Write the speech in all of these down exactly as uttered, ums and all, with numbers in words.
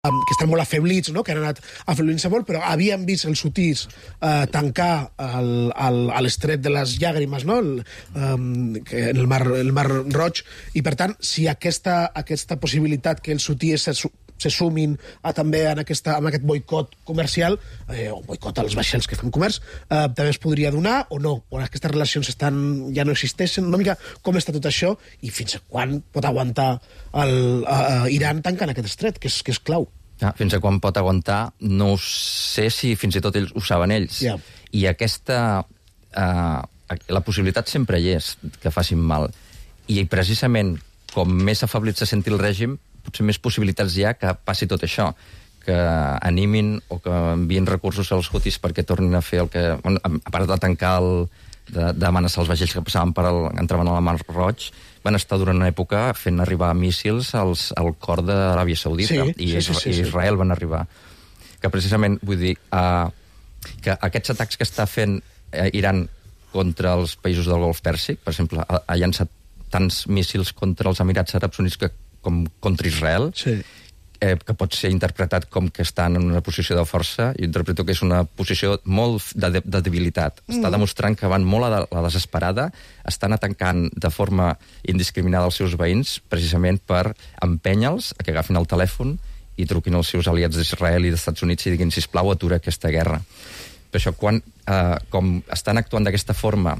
que estan molt afeblits, no? Que han anat afeblint-se molt, però havien vist els hutis eh, tancar el, el, l'estret de les llàgrimes, no? El, um, que en el mar, el mar Roig, i per tant, si aquesta, aquesta possibilitat que els hutis se, se sumin a, també en, aquesta, en aquest boicot comercial, eh, o boicot als vaixells que fan comerç, eh, també es podria donar o no, o aquestes relacions estan, ja no existeixen, una mica com està tot això i fins a quan pot aguantar el, uh, Iran tancant aquest estret, que és, que és clau. Ja, fins a quan pot aguantar, no sé si fins i tot ells ho saben ells. Yeah. I aquesta... Eh, la possibilitat sempre hi és, que facin mal. I precisament, com més afeblit se senti el règim, potser més possibilitats hi ha que passi tot això, que animin o que envien recursos als hutis perquè tornin a fer el que... A part de tancar el... d'amenaçar els vaixells que passaven per el, entraven a la Mar Roig, van estar durant una època fent arribar míssils als, al cor d'Aràbia Saudita, sí, i, sí, sí, sí, i Israel van arribar. Que precisament, vull dir, uh, que aquests atacs que està fent uh, Iran contra els països del Golf Pèrsic, per exemple, ha, ha llançat tants míssils contra els Emirats Àrabs Units que, com contra Israel, sí. Eh, que pot ser interpretat com que estan en una posició de força. Jo interpreto que és una posició molt de, de, de debilitat. Mm. Està demostrant que van molt a la desesperada, estan atacant de forma indiscriminada els seus veïns, precisament per empènyer-los a que agafin el telèfon i truquin als seus aliats d'Israel i dels Estats Units i diguin, sisplau, atura aquesta guerra. Per això, quan, eh, com estan actuant d'aquesta forma,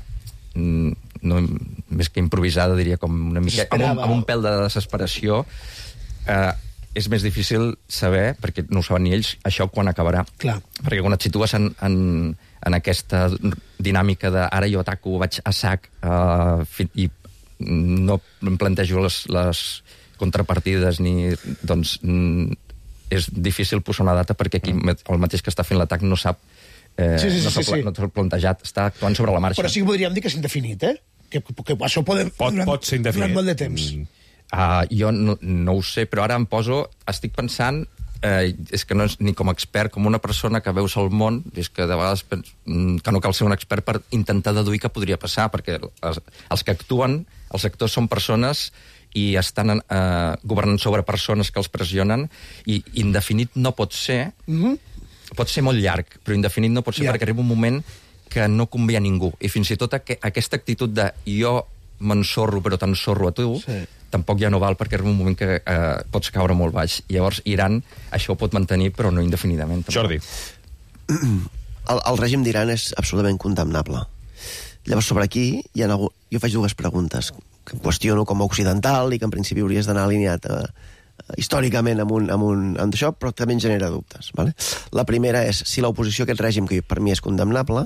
no, més que improvisada, diria com una mica, amb un, amb un pèl de desesperació, eh, és més difícil saber, perquè no ho saben ni ells, això quan acabarà. Clar. Perquè quan et situes en, en, en aquesta dinàmica de ara jo ataco, vaig a sac, uh, i no em plantejo les, les contrapartides, ni, doncs és difícil posar una data perquè aquí el mateix que està fent l'atac no sap, eh, sí, sí, no s'ha sí, sí. no plantejat, està actuant sobre la marxa. Però sí que podríem dir que és indefinit, eh? Que, que això podem, pot, durant, pot ser indefinit. Durant molt de temps. Mm. Uh, jo no, no ho sé, però ara em poso... Estic pensant, eh, és que no és ni com a expert, com una persona que veus el món, és que de vegades pens, que no cal ser un expert per intentar deduir què podria passar, perquè els, els que actuen, els actors són persones i estan eh, governant sobre persones que els pressionen, i indefinit no pot ser, mm-hmm. pot ser molt llarg, però indefinit no pot ser yeah. perquè arriba un moment que no convé a ningú. I fins i tot aqu aquesta actitud de jo m'ensorro, però t'ensorro a tu, sí. tampoc ja no val perquè arriba un moment que eh, pots caure molt baix. Llavors, Iran això ho pot mantenir, però no indefinidament. Tampoc. Jordi. El, el règim d'Iran és absolutament condemnable. Llavors, sobre aquí, hi ha, jo faig dues preguntes que em qüestiono com a occidental i que en principi hauries d'anar alineat eh, històricament amb, un, amb, un, amb això, però també en genera dubtes. Vale? La primera és si l'oposició a aquest règim, que per mi és condemnable,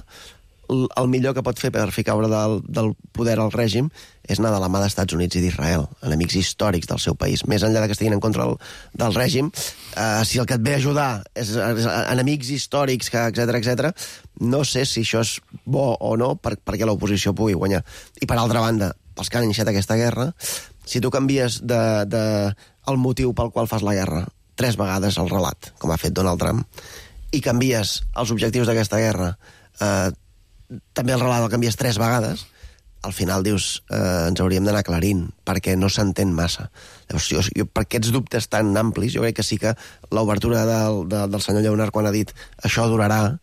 el millor que pot fer per fer caure del, del poder al règim és anar de la mà d'Estats Units i d'Israel, enemics històrics del seu país. Més enllà de que estiguin en contra del, del règim, eh, si el que et ve a ajudar és, és enemics històrics, etcètera, etcètera, no sé si això és bo o no per, perquè l'oposició pugui guanyar. I per altra banda, pels que han iniciat aquesta guerra, si tu canvies de, de, el motiu pel qual fas la guerra tres vegades el relat, com ha fet Donald Trump, i canvies els objectius d'aquesta guerra, eh, també el relat el canvies tres vegades, al final dius, eh, ens hauríem d'anar aclarint, perquè no s'entén massa. Llavors, jo, jo, per aquests dubtes tan amplis, jo crec que sí que l'obertura del, de, del senyor Lleonard quan ha dit això durarà,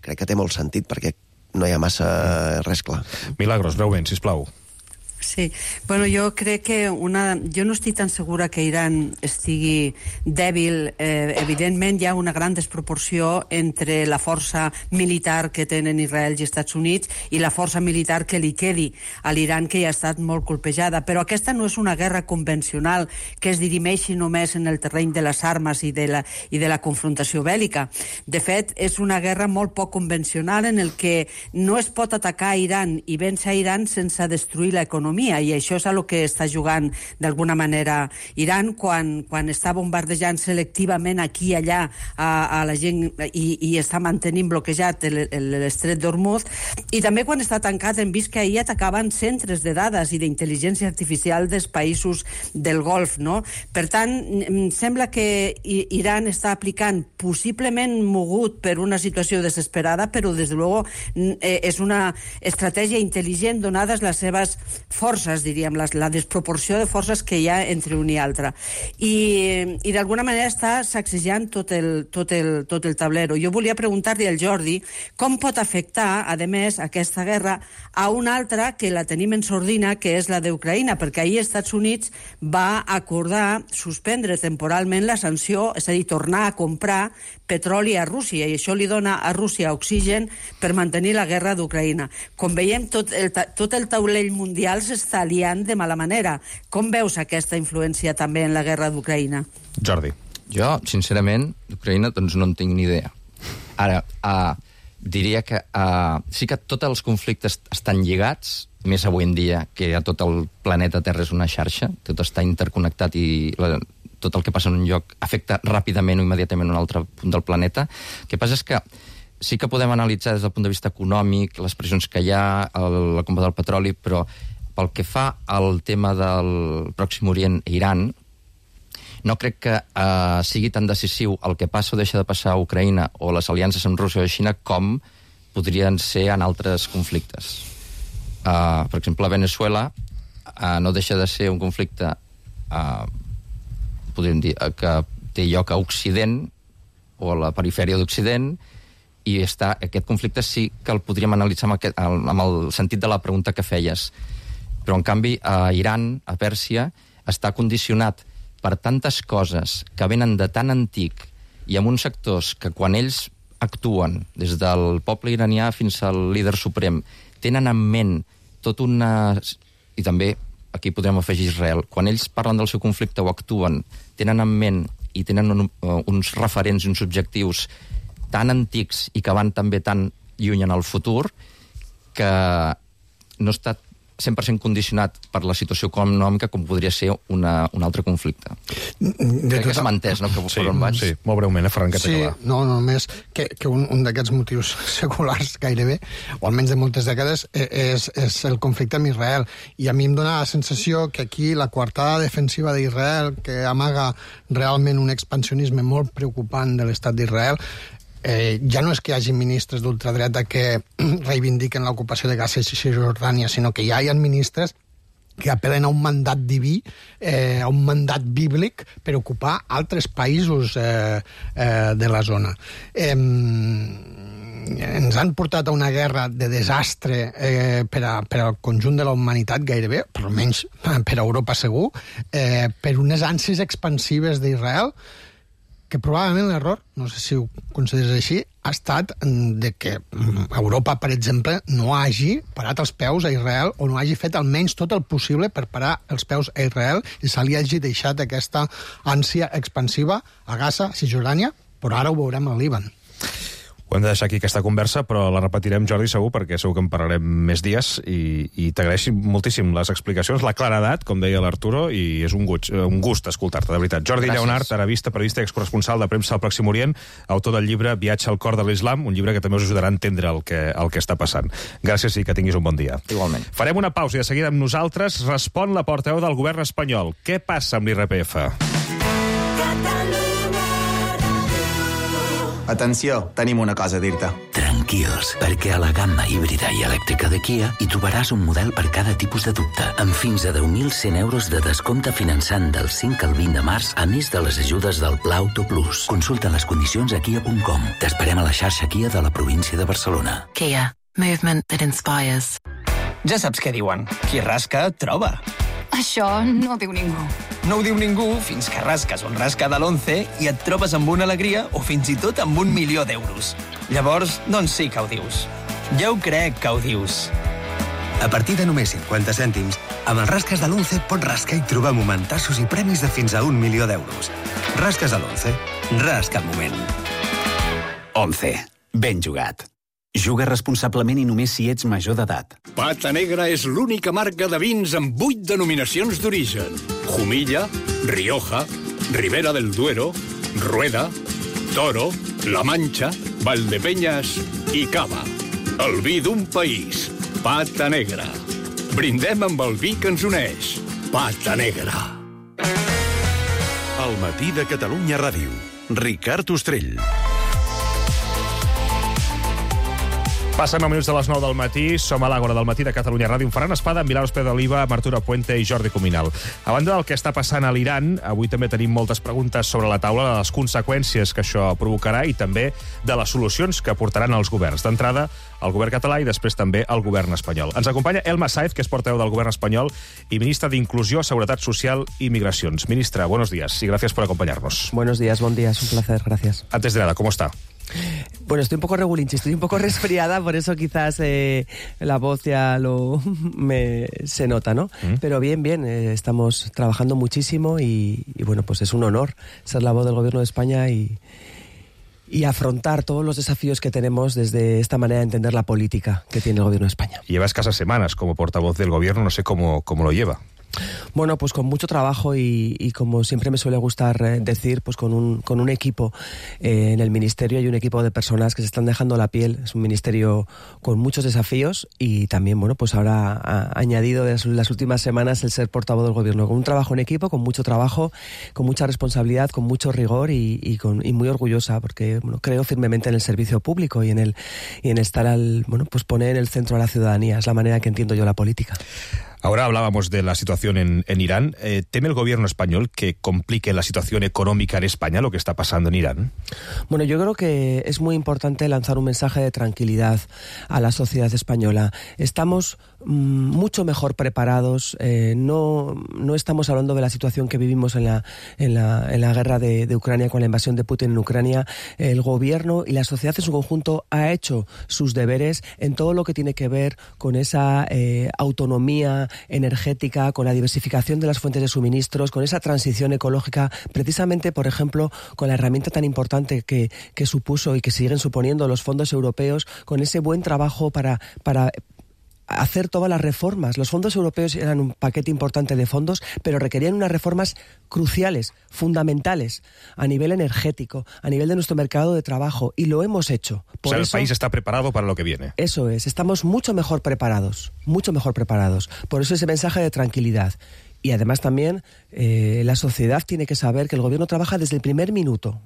crec que té molt sentit, perquè no hi ha massa res clar. Milagros, breument, sisplau. Sí, bueno, jo crec que una... Jo no estic tan segura que Iran estigui dèbil. Eh, evidentment hi ha una gran desproporció entre la força militar que tenen Israel i Estats Units i la força militar que li quedi a l'Iran, que ja ha estat molt colpejada. Però aquesta no és una guerra convencional que es dirimeixi només en el terreny de les armes i de la, i de la confrontació bèl·lica. De fet, és una guerra molt poc convencional en el que no es pot atacar a Iran i vèncer a Iran sense destruir l'economia, i això és el que està jugant d'alguna manera Iran quan, quan està bombardejant selectivament aquí i allà a, a la gent i, i està mantenint bloquejat l'estret d'Hormuz, i també quan està tancat hem vist que ahir atacaven centres de dades i d'intel·ligència artificial dels països del Golf, no? Per tant, em sembla que Iran està aplicant, possiblement mogut per una situació desesperada, però des de luego és una estratègia intel·ligent donades les seves forces, diríem, la, la desproporció de forces que hi ha entre un i altre. I, i d'alguna manera està sacsejant tot el, tot, el, tot el tablero. Jo volia preguntar-li al Jordi com pot afectar, a més, aquesta guerra a una altra que la tenim en sordina, que és la d'Ucraïna, perquè ahir els Estats Units va acordar suspendre temporalment la sanció, és a dir, tornar a comprar petroli a Rússia, i això li dona a Rússia oxigen per mantenir la guerra d'Ucraïna. Com veiem, tot el, tot el taulell mundial s'està liant de mala manera. Com veus aquesta influència també en la guerra d'Ucraïna? Jordi. Jo, sincerament, d'Ucraïna doncs no en tinc ni idea. Ara, uh, diria que uh, sí que tots els conflictes estan lligats, més avui en dia que a tot el planeta Terra és una xarxa, tot està interconnectat i la, tot el que passa en un lloc afecta ràpidament o immediatament un altre punt del planeta. El que passa és que sí que podem analitzar des del punt de vista econòmic les pressions que hi ha, el, la compra del petroli, però pel que fa al tema del Pròxim Orient i Iran, no crec que uh, sigui tan decisiu el que passa o deixa de passar a Ucraïna o les aliances amb Rússia o Xina com podrien ser en altres conflictes. Uh, per exemple, a Venezuela uh, no deixa de ser un conflicte uh, podríem dir uh, que té lloc a Occident o a la perifèria d'Occident, i està, aquest conflicte sí que el podríem analitzar amb, aquest, amb el sentit de la pregunta que feies. Però, en canvi, a Iran, a Pèrsia, està condicionat per tantes coses que venen de tan antic i amb uns sectors que quan ells actuen, des del poble iranià fins al líder suprem, tenen en ment tot una... I també, aquí podrem afegir Israel, quan ells parlen del seu conflicte o actuen, tenen en ment i tenen un, uh, uns referents i uns objectius tan antics i que van també tan lluny en el futur que no està cent per cent condicionat per la situació econòmica com podria ser una, un altre conflicte. De Crec tota... que s'ha entès, no? Que sí, vaig. Sí, molt breument, eh, Ferran, que sí, no, no, només que, que un, un d'aquests motius seculars gairebé, o almenys de moltes dècades, és, és el conflicte amb Israel. I a mi em dóna la sensació que aquí la coartada defensiva d'Israel, que amaga realment un expansionisme molt preocupant de l'estat d'Israel, Eh, ja no és que hi hagi ministres d'ultradreta que reivindiquen l'ocupació de Gaza i Cisjordània, sinó que ja hi ha ministres que apel·len a un mandat diví, eh, a un mandat bíblic per ocupar altres països eh, eh, de la zona. Eh, ens han portat a una guerra de desastre eh, per, a, per al conjunt de la humanitat gairebé, per almenys per a Europa segur, eh, per unes ànsies expansives d'Israel, que probablement l'error, no sé si ho consideres així, ha estat de que Europa, per exemple, no hagi parat els peus a Israel o no hagi fet almenys tot el possible per parar els peus a Israel i se li hagi deixat aquesta ànsia expansiva a Gaza, a Cisjordània, però ara ho veurem al Líban. Ho hem de deixar aquí aquesta conversa, però la repetirem, Jordi, segur, perquè segur que en parlarem més dies, i, i t'agraeixo moltíssim les explicacions, la claredat, com deia l'Arturo, i és un gust, un gust escoltar-te, de veritat. Jordi Gràcies. Lleonart, arabista, periodista i excorresponsal de premsa al Pròxim Orient, autor del llibre Viatge al cor de l'Islam, un llibre que també us ajudarà a entendre el que, el que està passant. Gràcies i que tinguis un bon dia. Igualment. Farem una pausa i de seguida amb nosaltres respon la portaveu del govern espanyol. Què passa amb l'I R P F? Atenció, tenim una cosa a dir-te. Tranquils, perquè a la gamma híbrida i elèctrica de Kia hi trobaràs un model per cada tipus de dubte, amb fins a deu mil cent euros de descompte finançant del cinc al vint de març, a més de les ajudes del Pla Auto Plus. Consulta les condicions a kia punt com. T'esperem a la xarxa Kia de la província de Barcelona. Kia. Movement that inspires. Ja saps què diuen. Qui rasca, troba. Això no ho diu ningú. No ho diu ningú fins que rasques un rasca de l'once i et trobes amb una alegria o fins i tot amb un milió d'euros. Llavors, doncs sí que ho dius. Jo ho crec que ho dius. A partir de només cinquanta cèntims, amb els rasques de l'once pots rascar i trobar momentassos i premis de fins a un milió d'euros. Rasques de l'once. Rasca el moment. once. Ben jugat. Juga responsablement i només si ets major d'edat. Pata Negra és l'única marca de vins amb vuit denominacions d'origen. Jumilla, Rioja, Ribera del Duero, Rueda, Toro, La Mancha, Valdepeñas i Cava. El vi d'un país. Pata Negra. Brindem amb el vi que ens uneix. Pata Negra. Al matí de Catalunya Ràdio. Ricard Ostrell. Passen nou minuts de les nou del matí, som a l'Àgora del matí de Catalunya Ràdio, amb Ferran Espada, amb Milà Hospeda d'Oliva, amb Arturo Puente i Jordi Cuminal. A banda del que està passant a l'Iran, avui també tenim moltes preguntes sobre la taula de les conseqüències que això provocarà i també de les solucions que portaran els governs. D'entrada, el govern català i després també el govern espanyol. Ens acompanya Elma Sáez, que és portaveu del govern espanyol y ministra de Inclusión, Seguridad Social y Migraciones. Ministra, buenos días y gracias por acompañarnos. Buenos días, buen día, es un placer, gracias. Antes de nada, ¿cómo está? Bueno, estoy un poco regulinchi, estoy un poco resfriada, por eso quizás eh, la voz ya lo me, se nota, ¿no? Mm. Pero bien, bien, eh, estamos trabajando muchísimo y, y bueno, pues es un honor ser la voz del Gobierno de España y, y afrontar todos los desafíos que tenemos desde esta manera de entender la política que tiene el Gobierno de España. Lleva escasas semanas como portavoz del Gobierno, no sé cómo, cómo lo lleva. Bueno, pues con mucho trabajo y, y como siempre me suele gustar eh, decir, pues con un, con un equipo eh, en el Ministerio. Hay un equipo de personas que se están dejando la piel. Es un ministerio con muchos desafíos y también, bueno, pues ahora ha añadido en las últimas semanas el ser portavoz del Gobierno. Con un trabajo en equipo, con mucho trabajo, con mucha responsabilidad, con mucho rigor y, y, con, y muy orgullosa porque bueno, creo firmemente en el servicio público y en el y en estar al, bueno, pues poner en el centro a la ciudadanía. Es la manera que entiendo yo la política. Ahora hablábamos de la situación en, en Irán. Eh, ¿Teme el gobierno español que complique la situación económica en España, lo que está pasando en Irán? Bueno, yo creo que es muy importante lanzar un mensaje de tranquilidad a la sociedad española. Estamos mmm, mucho mejor preparados. Eh, no, no estamos hablando de la situación que vivimos en la, en la, en la guerra de, de Ucrania, con la invasión de Putin en Ucrania. El gobierno y la sociedad en su conjunto ha hecho sus deberes en todo lo que tiene que ver con esa eh, autonomía energética, con la diversificación de las fuentes de suministros, con esa transición ecológica, precisamente, por ejemplo, con la herramienta tan importante que, que supuso y que siguen suponiendo los fondos europeos, con ese buen trabajo para... para hacer todas las reformas. Los fondos europeos eran un paquete importante de fondos, pero requerían unas reformas cruciales, fundamentales, a nivel energético, a nivel de nuestro mercado de trabajo, y lo hemos hecho. Por o sea, eso, el país está preparado para lo que viene. Eso es, estamos mucho mejor preparados, mucho mejor preparados. Por eso ese mensaje de tranquilidad. Y además también eh, la sociedad tiene que saber que el gobierno trabaja desde el primer minuto,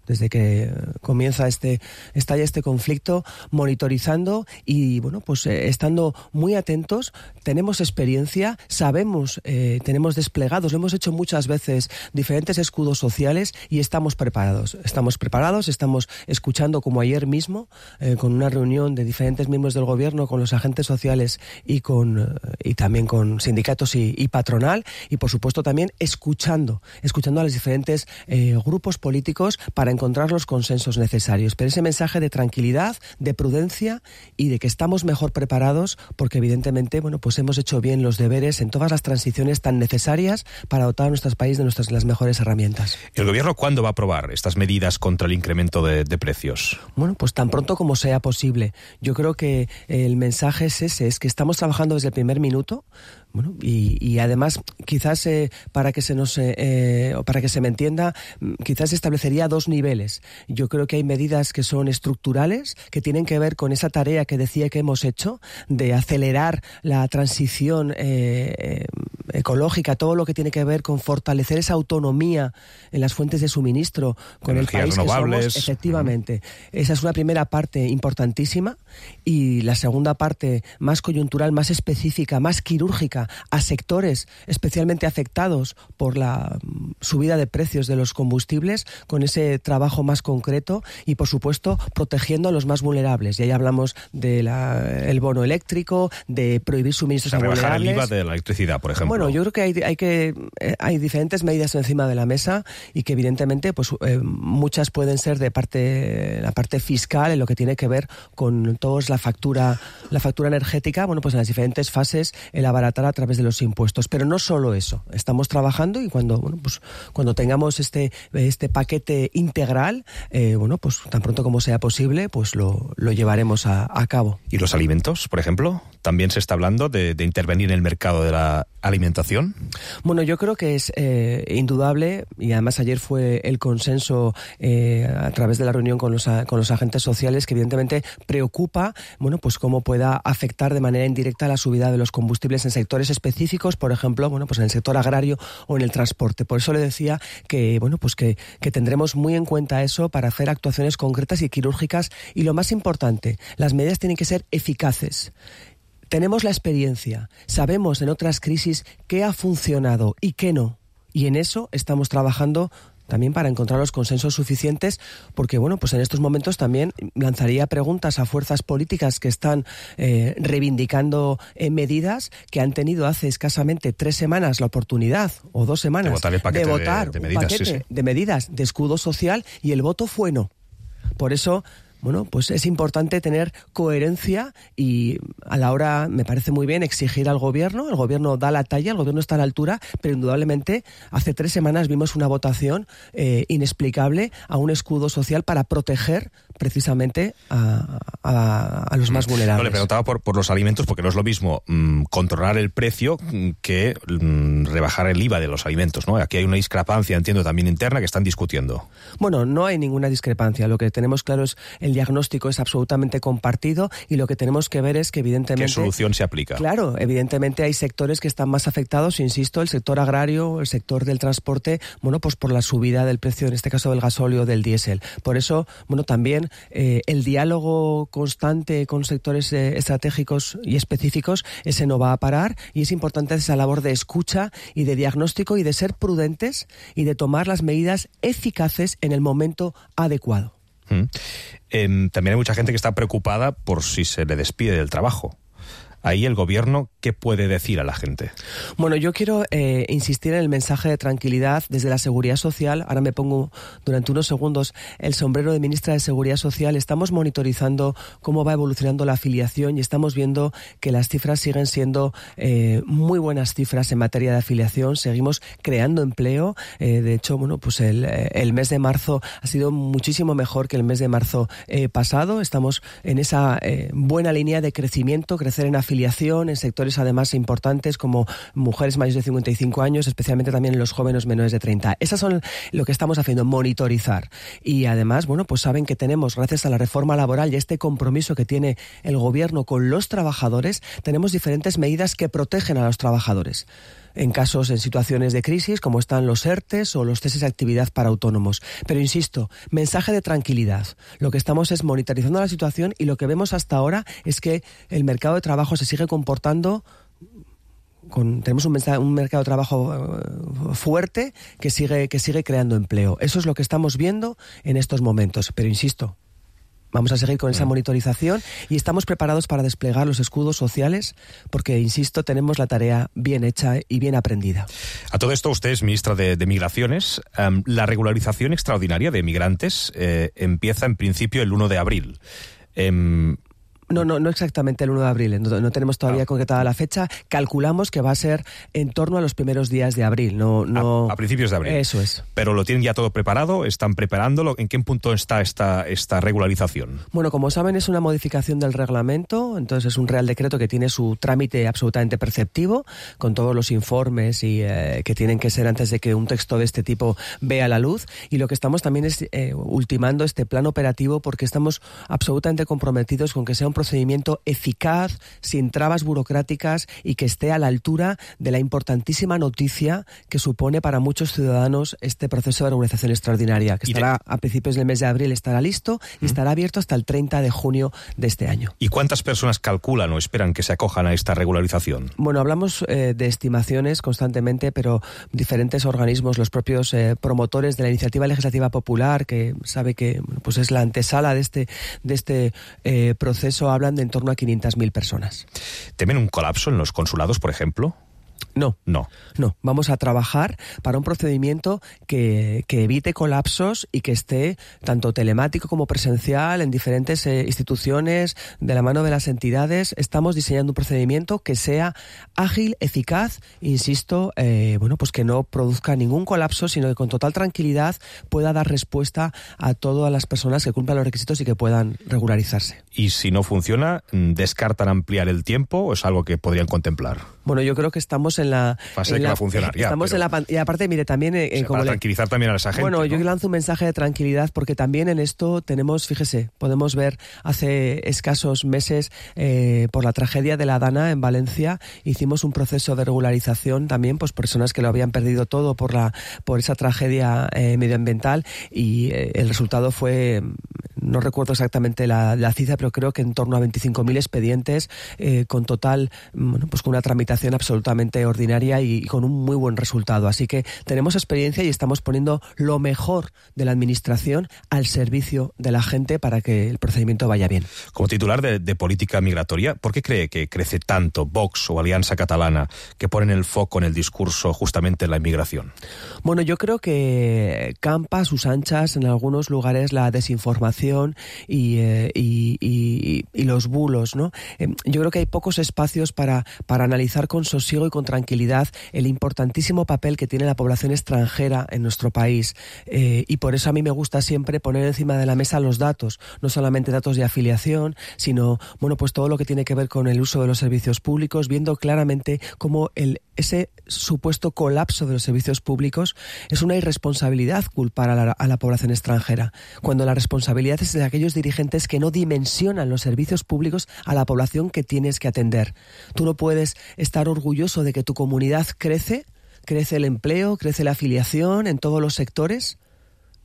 desde que comienza este, estalla este conflicto, monitorizando y, bueno, pues eh, estando muy atentos. Tenemos experiencia, sabemos, eh, tenemos desplegados, lo hemos hecho muchas veces, diferentes escudos sociales y estamos preparados. Estamos preparados, estamos escuchando, como ayer mismo, eh, con una reunión de diferentes miembros del gobierno, con los agentes sociales y, con, y también con sindicatos y, y patronal, y por supuesto también escuchando, escuchando a los diferentes eh, grupos políticos para encontrar los consensos necesarios. Pero ese mensaje de tranquilidad, de prudencia y de que estamos mejor preparados porque evidentemente, bueno, pues hemos hecho bien los deberes en todas las transiciones tan necesarias para dotar a nuestro país de nuestras las mejores herramientas. ¿El gobierno cuándo va a aprobar estas medidas contra el incremento de, de precios? Bueno, pues tan pronto como sea posible. Yo creo que el mensaje es ese, es que estamos trabajando desde el primer minuto. Bueno, y, y además, quizás eh, para que se nos eh, para que se me entienda, quizás establecería dos niveles. Yo creo que hay medidas que son estructurales, que tienen que ver con esa tarea que decía que hemos hecho, de acelerar la transición eh, ecológica, todo lo que tiene que ver con fortalecer esa autonomía en las fuentes de suministro con el país que somos. Efectivamente. Esa es una primera parte importantísima, y la segunda parte, más coyuntural, más específica, más quirúrgica, a sectores especialmente afectados por la subida de precios de los combustibles, con ese trabajo más concreto y, por supuesto, protegiendo a los más vulnerables. Y ahí hablamos del bono eléctrico, de prohibir suministros o sea, a vulnerables. Rebajar el I V A de la electricidad, por ejemplo. Bueno, yo creo que hay, hay que hay diferentes medidas encima de la mesa y que evidentemente pues eh, muchas pueden ser de parte la parte fiscal, en lo que tiene que ver con todos la factura la factura energética. Bueno, pues en las diferentes fases el abaratar a través de los impuestos, pero no solo eso. Estamos trabajando y cuando bueno pues cuando tengamos este este paquete integral, eh, bueno pues tan pronto como sea posible, pues lo, lo llevaremos a, a cabo. ¿Y los alimentos, por ejemplo? También se está hablando de, de intervenir en el mercado de la alimentación alimentación? Bueno, yo creo que es eh, indudable, y además ayer fue el consenso eh, a través de la reunión con los, con los agentes sociales, que evidentemente preocupa, bueno, pues cómo pueda afectar de manera indirecta la subida de los combustibles en sectores específicos, por ejemplo, bueno, pues en el sector agrario o en el transporte. Por eso le decía que, bueno, pues que, que tendremos muy en cuenta eso para hacer actuaciones concretas y quirúrgicas, y lo más importante, las medidas tienen que ser eficaces. Tenemos la experiencia, sabemos en otras crisis qué ha funcionado y qué no, y en eso estamos trabajando también para encontrar los consensos suficientes, porque bueno, pues en estos momentos también lanzaría preguntas a fuerzas políticas que están eh, reivindicando eh, medidas que han tenido hace escasamente tres semanas la oportunidad, o dos semanas, de votar, el paquete de, votar de, de un medidas, paquete sí, sí. de medidas de escudo social, y el voto fue no. Por eso, bueno, pues es importante tener coherencia, y a la hora, me parece muy bien, exigir al gobierno. El gobierno da la talla, el gobierno está a la altura, pero indudablemente hace tres semanas vimos una votación eh, inexplicable a un escudo social para proteger precisamente a, a, a los más vulnerables. No, le preguntaba por, por los alimentos, porque no es lo mismo mmm, controlar el precio que mmm, rebajar el I V A de los alimentos, ¿no? Aquí hay una discrepancia, entiendo, también interna, que están discutiendo. Bueno, no hay ninguna discrepancia. Lo que tenemos claro es el diagnóstico es absolutamente compartido, y lo que tenemos que ver es que evidentemente... ¿Qué solución se aplica? Claro, evidentemente hay sectores que están más afectados, insisto, el sector agrario, el sector del transporte, bueno, pues por la subida del precio, en este caso del gasóleo o del diésel. Por eso, bueno, también eh, el diálogo constante con sectores eh, estratégicos y específicos, ese no va a parar, y es importante esa labor de escucha y de diagnóstico, y de ser prudentes y de tomar las medidas eficaces en el momento adecuado. Mm. Eh, también hay mucha gente que está preocupada por si se le despide del trabajo. Ahí el gobierno, ¿qué puede decir a la gente? Bueno, yo quiero eh, insistir en el mensaje de tranquilidad desde la Seguridad Social. Ahora me pongo durante unos segundos el sombrero de ministra de Seguridad Social. Estamos monitorizando cómo va evolucionando la afiliación, y estamos viendo que las cifras siguen siendo eh, muy buenas cifras en materia de afiliación. Seguimos creando empleo. Eh, de hecho, bueno, pues el, el mes de marzo ha sido muchísimo mejor que el mes de marzo eh, pasado. Estamos en esa eh, buena línea de crecimiento, crecer en afiliación, afiliación en sectores además importantes como mujeres mayores de cincuenta y cinco años, especialmente también en los jóvenes menores de treinta. Esas son lo que estamos haciendo, monitorizar. Y además, bueno, pues saben que tenemos, gracias a la reforma laboral y este compromiso que tiene el gobierno con los trabajadores, tenemos diferentes medidas que protegen a los trabajadores en casos, en situaciones de crisis, como están los ERTES o los ceses de actividad para autónomos. Pero insisto, mensaje de tranquilidad. Lo que estamos es monitorizando la situación, y lo que vemos hasta ahora es que el mercado de trabajo se sigue comportando con, tenemos un, un mercado de trabajo uh, fuerte que sigue, que sigue creando empleo. Eso es lo que estamos viendo en estos momentos. Pero insisto, vamos a seguir con esa monitorización, y estamos preparados para desplegar los escudos sociales, porque, insisto, tenemos la tarea bien hecha y bien aprendida. A todo esto, usted es ministra de, de Migraciones. Um, la regularización extraordinaria de migrantes eh, empieza en principio el uno de abril. Um, No, no, no exactamente el uno de abril, no, no tenemos todavía ah. concretada la fecha. Calculamos que va a ser en torno a los primeros días de abril. No, no... A, a principios de abril. Eso es. ¿Pero lo tienen ya todo preparado? ¿Están preparándolo? ¿En qué punto está esta, esta regularización? Bueno, como saben, es una modificación del reglamento, entonces es un real decreto que tiene su trámite absolutamente perceptivo, con todos los informes y eh, que tienen que ser antes de que un texto de este tipo vea la luz. Y lo que estamos también es eh, ultimando este plan operativo, porque estamos absolutamente comprometidos con que sea un procedimiento eficaz, sin trabas burocráticas, y que esté a la altura de la importantísima noticia que supone para muchos ciudadanos este proceso de regularización extraordinaria, que estará de... a principios del mes de abril, estará listo y ¿Mm? estará abierto hasta el treinta de junio de este año. ¿Y cuántas personas calculan o esperan que se acojan a esta regularización? Bueno, hablamos eh, de estimaciones constantemente, pero diferentes organismos, los propios eh, promotores de la iniciativa legislativa popular, que sabe que bueno, pues es la antesala de este, de este eh, proceso, hablan de en torno a quinientas mil personas. ¿Temen un colapso en los consulados, por ejemplo? No, no, no. Vamos a trabajar para un procedimiento que, que evite colapsos y que esté tanto telemático como presencial en diferentes eh, instituciones, de la mano de las entidades. Estamos diseñando un procedimiento que sea ágil, eficaz, insisto, eh, bueno, pues que no produzca ningún colapso, sino que con total tranquilidad pueda dar respuesta a todas las personas que cumplan los requisitos y que puedan regularizarse. ¿Y si no funciona, descartan ampliar el tiempo o es algo que podrían contemplar? Bueno, yo creo que estamos en la... Fase en que la, va a funcionar ya. Estamos pero... en la... Y aparte, mire, también... Eh, o sea, como para le... tranquilizar también a esa gente. Bueno, ¿no? yo lanzo un mensaje de tranquilidad porque también en esto tenemos, fíjese, podemos ver hace escasos meses eh, por la tragedia de la Dana en Valencia, hicimos un proceso de regularización también, pues personas que lo habían perdido todo por la por esa tragedia eh, medioambiental y eh, el resultado fue, no recuerdo exactamente la, la cifra, pero creo que en torno a veinticinco mil expedientes eh, con total, bueno, pues con una tramitación absolutamente ordinaria y, y con un muy buen resultado. Así que tenemos experiencia y estamos poniendo lo mejor de la administración al servicio de la gente para que el procedimiento vaya bien. Como titular de, de política migratoria, ¿por qué cree que crece tanto Vox o Alianza Catalana que ponen el foco en el discurso justamente en la inmigración? Bueno, yo creo que campa a sus anchas en algunos lugares la desinformación y, eh, y, y, y los bulos, ¿no? Eh, yo creo que hay pocos espacios para, para analizar con sosiego y con tranquilidad el importantísimo papel que tiene la población extranjera en nuestro país. Eh, y por eso a mí me gusta siempre poner encima de la mesa los datos, no solamente datos de afiliación, sino bueno, pues todo lo que tiene que ver con el uso de los servicios públicos, viendo claramente cómo el, ese supuesto colapso de los servicios públicos es una irresponsabilidad culpar a la, a la población extranjera, cuando la responsabilidad es de aquellos dirigentes que no dimensionan los servicios públicos a la población que tienes que atender. Tú no puedes estar orgulloso de que tu comunidad crece, crece el empleo, crece la afiliación en todos los sectores,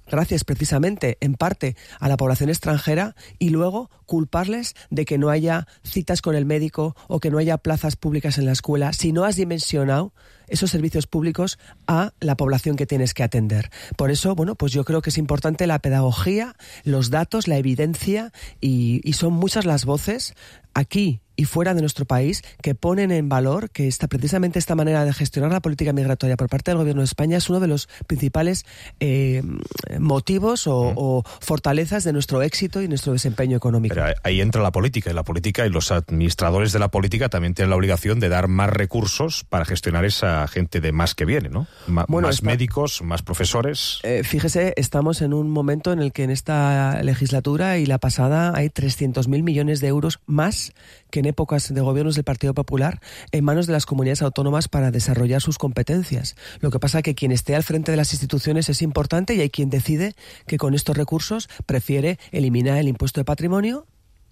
gracias precisamente, en parte, a la población extranjera, y luego culparles de que no haya citas con el médico o que no haya plazas públicas en la escuela si no has dimensionado esos servicios públicos a la población que tienes que atender. Por eso, bueno, pues yo creo que es importante la pedagogía, los datos, la evidencia, y, y son muchas las voces aquí y fuera de nuestro país que ponen en valor que esta, precisamente esta manera de gestionar la política migratoria por parte del Gobierno de España es uno de los principales eh, motivos o, o fortalezas de nuestro éxito y nuestro desempeño económico. Pero ahí entra la política, y la política y los administradores de la política también tienen la obligación de dar más recursos para gestionar esa gente de más que viene, ¿no? Ma- bueno, más está... médicos, más profesores. Eh, fíjese, estamos en un momento en el que en esta legislatura y la pasada hay trescientos mil millones de euros más que en épocas de gobiernos del Partido Popular en manos de las comunidades autónomas para desarrollar sus competencias. Lo que pasa es que quien esté al frente de las instituciones es importante y hay quien decide que con estos recursos prefiere eliminar el impuesto de patrimonio,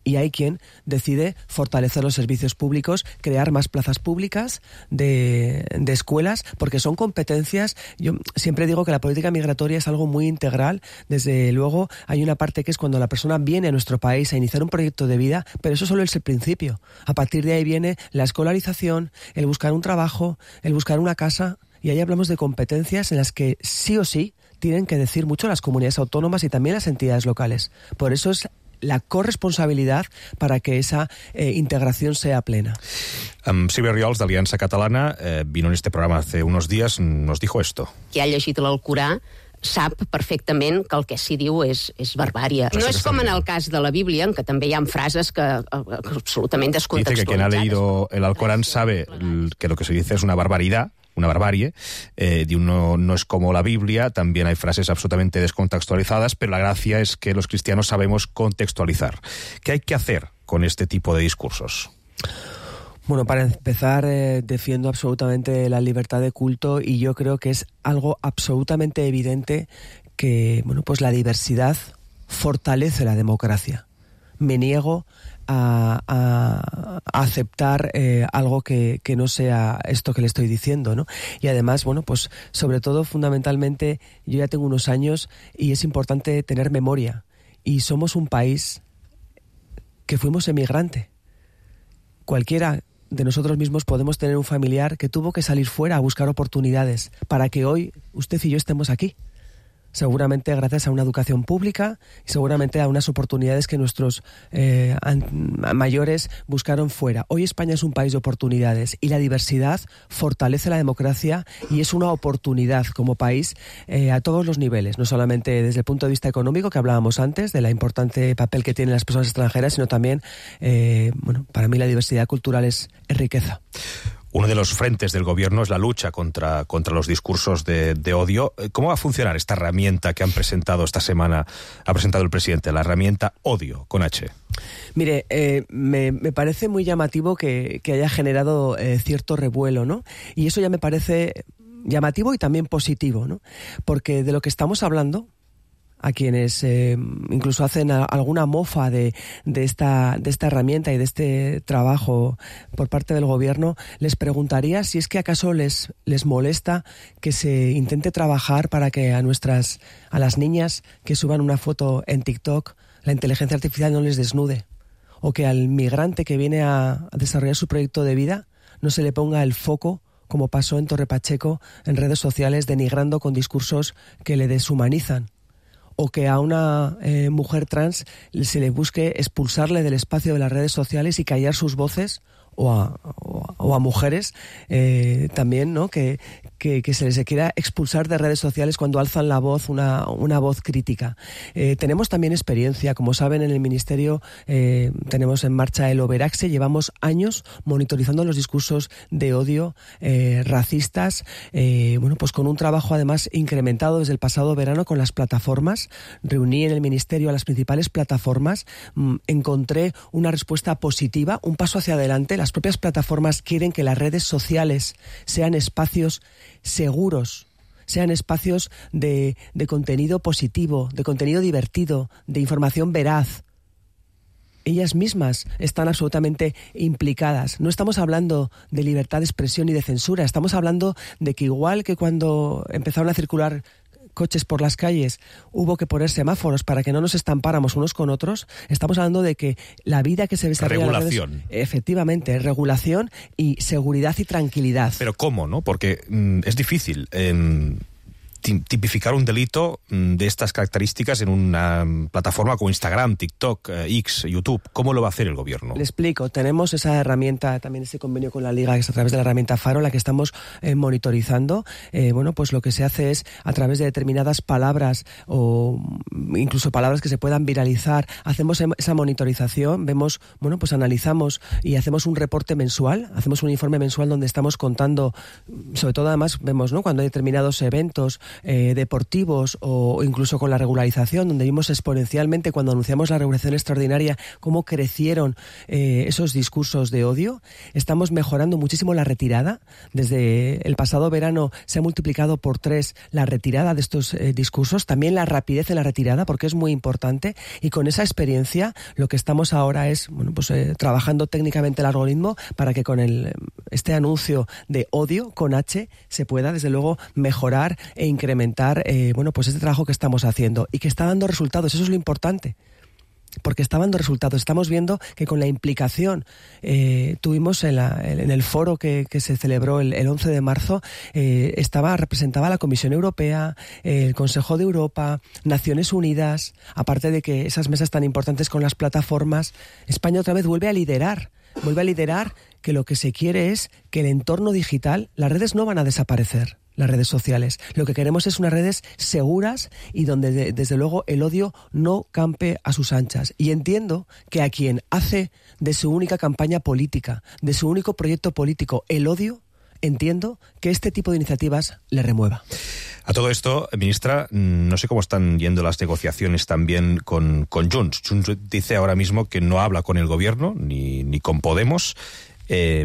y hay quien decide fortalecer los servicios públicos, crear más plazas públicas de, de escuelas, porque son competencias. Yo siempre digo que la política migratoria es algo muy integral. Desde luego hay una parte que es cuando la persona viene a nuestro país a iniciar un proyecto de vida, pero eso solo es el principio. A partir de ahí viene la escolarización, el buscar un trabajo, el buscar una casa, y ahí hablamos de competencias en las que sí o sí tienen que decir mucho las comunidades autónomas y también las entidades locales. Por eso es la corresponsabilidad para que esa eh, integración sea plena. Um, Sílvia Riols, de Alianza Catalana, eh, vino en este programa hace unos días, nos dijo esto. Qui ha llegit l'Alcorà sap perfectament que el que s'hi diu és, és barbària. No és com en el cas de la Bíblia, en què també hi ha frases que, que absolutament descontextualitzades. Dice que quien ha leído el Alcorán sabe que lo que se dice es una barbaridad, una barbarie, eh, de uno no es como la Biblia, también hay frases absolutamente descontextualizadas, pero la gracia es que los cristianos sabemos contextualizar. ¿Qué hay que hacer con este tipo de discursos? Bueno, para empezar, eh, defiendo absolutamente la libertad de culto, y yo creo que es algo absolutamente evidente que, bueno, pues la diversidad fortalece la democracia. Me niego a, a, a aceptar eh, algo que, que no sea esto que le estoy diciendo, ¿no? Y además, bueno, pues sobre todo, fundamentalmente, yo ya tengo unos años y es importante tener memoria. Y somos un país que fuimos emigrante. Cualquiera de nosotros mismos podemos tener un familiar que tuvo que salir fuera a buscar oportunidades para que hoy usted y yo estemos aquí. Seguramente gracias a una educación pública y seguramente a unas oportunidades que nuestros eh, mayores buscaron fuera. Hoy España es un país de oportunidades y la diversidad fortalece la democracia y es una oportunidad como país eh, a todos los niveles, no solamente desde el punto de vista económico, que hablábamos antes, de la importante papel que tienen las personas extranjeras, sino también, eh, bueno, para mí la diversidad cultural es, es riqueza. uno de los frentes del gobierno es la lucha contra, contra los discursos de, de odio. ¿Cómo va a funcionar esta herramienta que han presentado esta semana, ha presentado el presidente, la herramienta Odio, con H? Mire, eh, me, me parece muy llamativo que, que haya generado eh, cierto revuelo, ¿no? Y eso ya me parece llamativo y también positivo, ¿no? Porque de lo que estamos hablando, a quienes eh, incluso hacen a, alguna mofa de, de, esta, de esta herramienta y de este trabajo por parte del gobierno, les preguntaría si es que acaso les, les molesta que se intente trabajar para que a nuestras, a las niñas que suban una foto en TikTok, la inteligencia artificial no les desnude, o que al migrante que viene a, a desarrollar su proyecto de vida no se le ponga el foco, como pasó en Torre Pacheco, en redes sociales, denigrando con discursos que le deshumanizan. O que a una eh, mujer trans se le busque expulsarle del espacio de las redes sociales y callar sus voces, o a, o a, o a mujeres eh, también, ¿no? Que, que, que se les quiera expulsar de redes sociales cuando alzan la voz, una, una voz crítica. Eh, tenemos también experiencia, como saben, en el Ministerio eh, tenemos en marcha el Overaxe, llevamos años monitorizando los discursos de odio eh, racistas, eh, bueno, pues con un trabajo además incrementado desde el pasado verano con las plataformas. Reuní en el Ministerio a las principales plataformas, mmm, encontré una respuesta positiva, un paso hacia adelante. Las propias plataformas quieren que las redes sociales sean espacios seguros, sean espacios de, de contenido positivo, de contenido divertido, de información veraz. Ellas mismas están absolutamente implicadas. No estamos hablando de libertad de expresión y de censura, estamos hablando de que igual que cuando empezaron a circular coches por las calles, hubo que poner semáforos para que no nos estampáramos unos con otros, estamos hablando de que la vida que se desarrolla... Regulación. En las redes, efectivamente, regulación y seguridad y tranquilidad. Pero ¿cómo, no? Porque mmm, es difícil eh, tipificar un delito de estas características en una plataforma como Instagram, TikTok, X, YouTube. ¿Cómo lo va a hacer el gobierno? Le explico. Tenemos esa herramienta, también ese convenio con la Liga, que es a través de la herramienta Faro, la que estamos eh, monitorizando. Eh, bueno, pues lo que se hace es, a través de determinadas palabras o incluso palabras que se puedan viralizar, hacemos esa monitorización, vemos, bueno, pues analizamos y hacemos un reporte mensual, hacemos un informe mensual donde estamos contando, sobre todo además vemos, ¿no?, cuando hay determinados eventos Eh, deportivos o incluso con la regularización, donde vimos exponencialmente cuando anunciamos la regulación extraordinaria cómo crecieron eh, esos discursos de odio. Estamos mejorando muchísimo la retirada. Desde el pasado verano se ha multiplicado por tres la retirada de estos eh, discursos, también la rapidez en la retirada, porque es muy importante, y con esa experiencia lo que estamos ahora es, bueno, pues eh, trabajando técnicamente el algoritmo para que con el, este anuncio de odio con H se pueda desde luego mejorar e incrementar incrementar eh, bueno, pues este trabajo que estamos haciendo y que está dando resultados. Eso es lo importante, porque está dando resultados. Estamos viendo que con la implicación, eh, tuvimos en, la, en el foro que, que se celebró el, el once de marzo, eh, estaba representaba la Comisión Europea, eh, el Consejo de Europa, Naciones Unidas, aparte de que esas mesas tan importantes con las plataformas. España otra vez vuelve a liderar, vuelve a liderar que lo que se quiere es que el entorno digital, las redes no van a desaparecer, las redes sociales. Lo que queremos es unas redes seguras y donde de, desde luego el odio no campe a sus anchas. Y entiendo que a quien hace de su única campaña política, de su único proyecto político, el odio, entiendo que este tipo de iniciativas le remueva. A todo esto, ministra, no sé cómo están yendo las negociaciones también con, con Junts. Junts dice ahora mismo que no habla con el gobierno ni, ni con Podemos. Eh,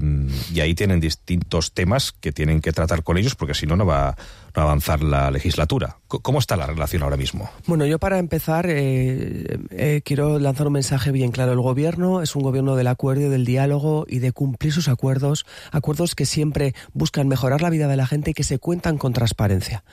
y ahí tienen distintos temas que tienen que tratar con ellos, porque si no, no va, no va a avanzar la legislatura. ¿Cómo está la relación ahora mismo? Bueno, yo para empezar eh, eh, quiero lanzar un mensaje bien claro. El gobierno es un gobierno del acuerdo y del diálogo y de cumplir sus acuerdos, acuerdos que siempre buscan mejorar la vida de la gente y que se cuentan con transparencia.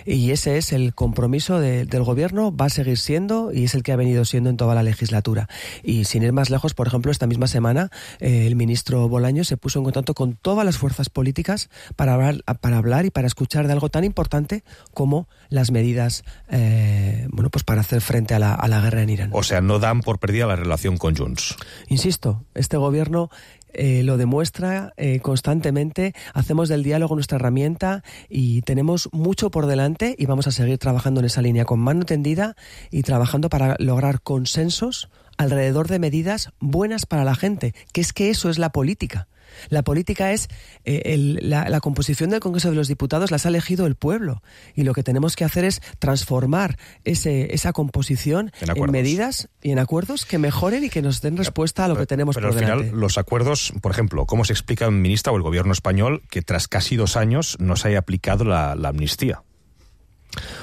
Y ese es el compromiso de, del gobierno, va a seguir siendo y es el que ha venido siendo en toda la legislatura. Y sin ir más lejos, por ejemplo, esta misma semana eh, el ministro Bolaño se puso en contacto con todas las fuerzas políticas para hablar, para hablar y para escuchar de algo tan importante como las medidas eh, bueno, pues para hacer frente a la, a la guerra en Irán. O sea, no dan por perdida la relación con Junts. Insisto, este gobierno eh, lo demuestra eh, constantemente, hacemos del diálogo nuestra herramienta y tenemos mucho por delante y vamos a seguir trabajando en esa línea con mano tendida y trabajando para lograr consensos alrededor de medidas buenas para la gente, que es que eso es la política. La política es eh, el, la, la composición del Congreso de los Diputados las ha elegido el pueblo y lo que tenemos que hacer es transformar ese, esa composición en, en medidas y en acuerdos que mejoren y que nos den respuesta a lo pero, que tenemos pero por delante. Pero al final, los acuerdos, por ejemplo, ¿cómo se explica, ministra, o el gobierno español que tras casi dos años no se haya aplicado la, la amnistía?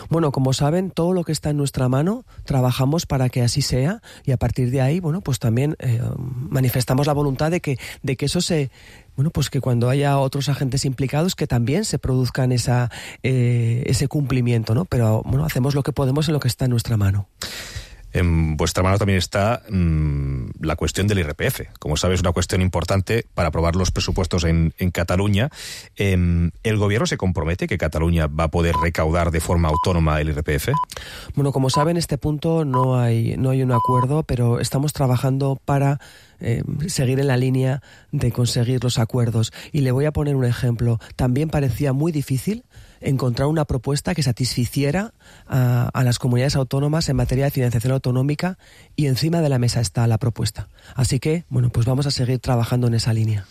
Bueno, como saben, todo lo que está en nuestra mano trabajamos para que así sea y a partir de ahí, bueno, pues también eh, manifestamos la voluntad de que, de que eso se... Bueno, pues que cuando haya otros agentes implicados que también se produzcan esa, eh, ese cumplimiento, ¿no? Pero, bueno, hacemos lo que podemos en lo que está en nuestra mano. En vuestra mano también está mmm, la cuestión del I R P F. Como sabes, es una cuestión importante para aprobar los presupuestos en, en Cataluña. Eh, ¿El gobierno se compromete que Cataluña va a poder recaudar de forma autónoma el I R P F? Bueno, como saben, en este punto no hay, no hay un acuerdo, pero estamos trabajando para eh, seguir en la línea de conseguir los acuerdos. Y le voy a poner un ejemplo. También parecía muy difícil encontrar una propuesta que satisficiera a, a las comunidades autónomas en materia de financiación autonómica y encima de la mesa está la propuesta. Así que, bueno, pues vamos a seguir trabajando en esa línea.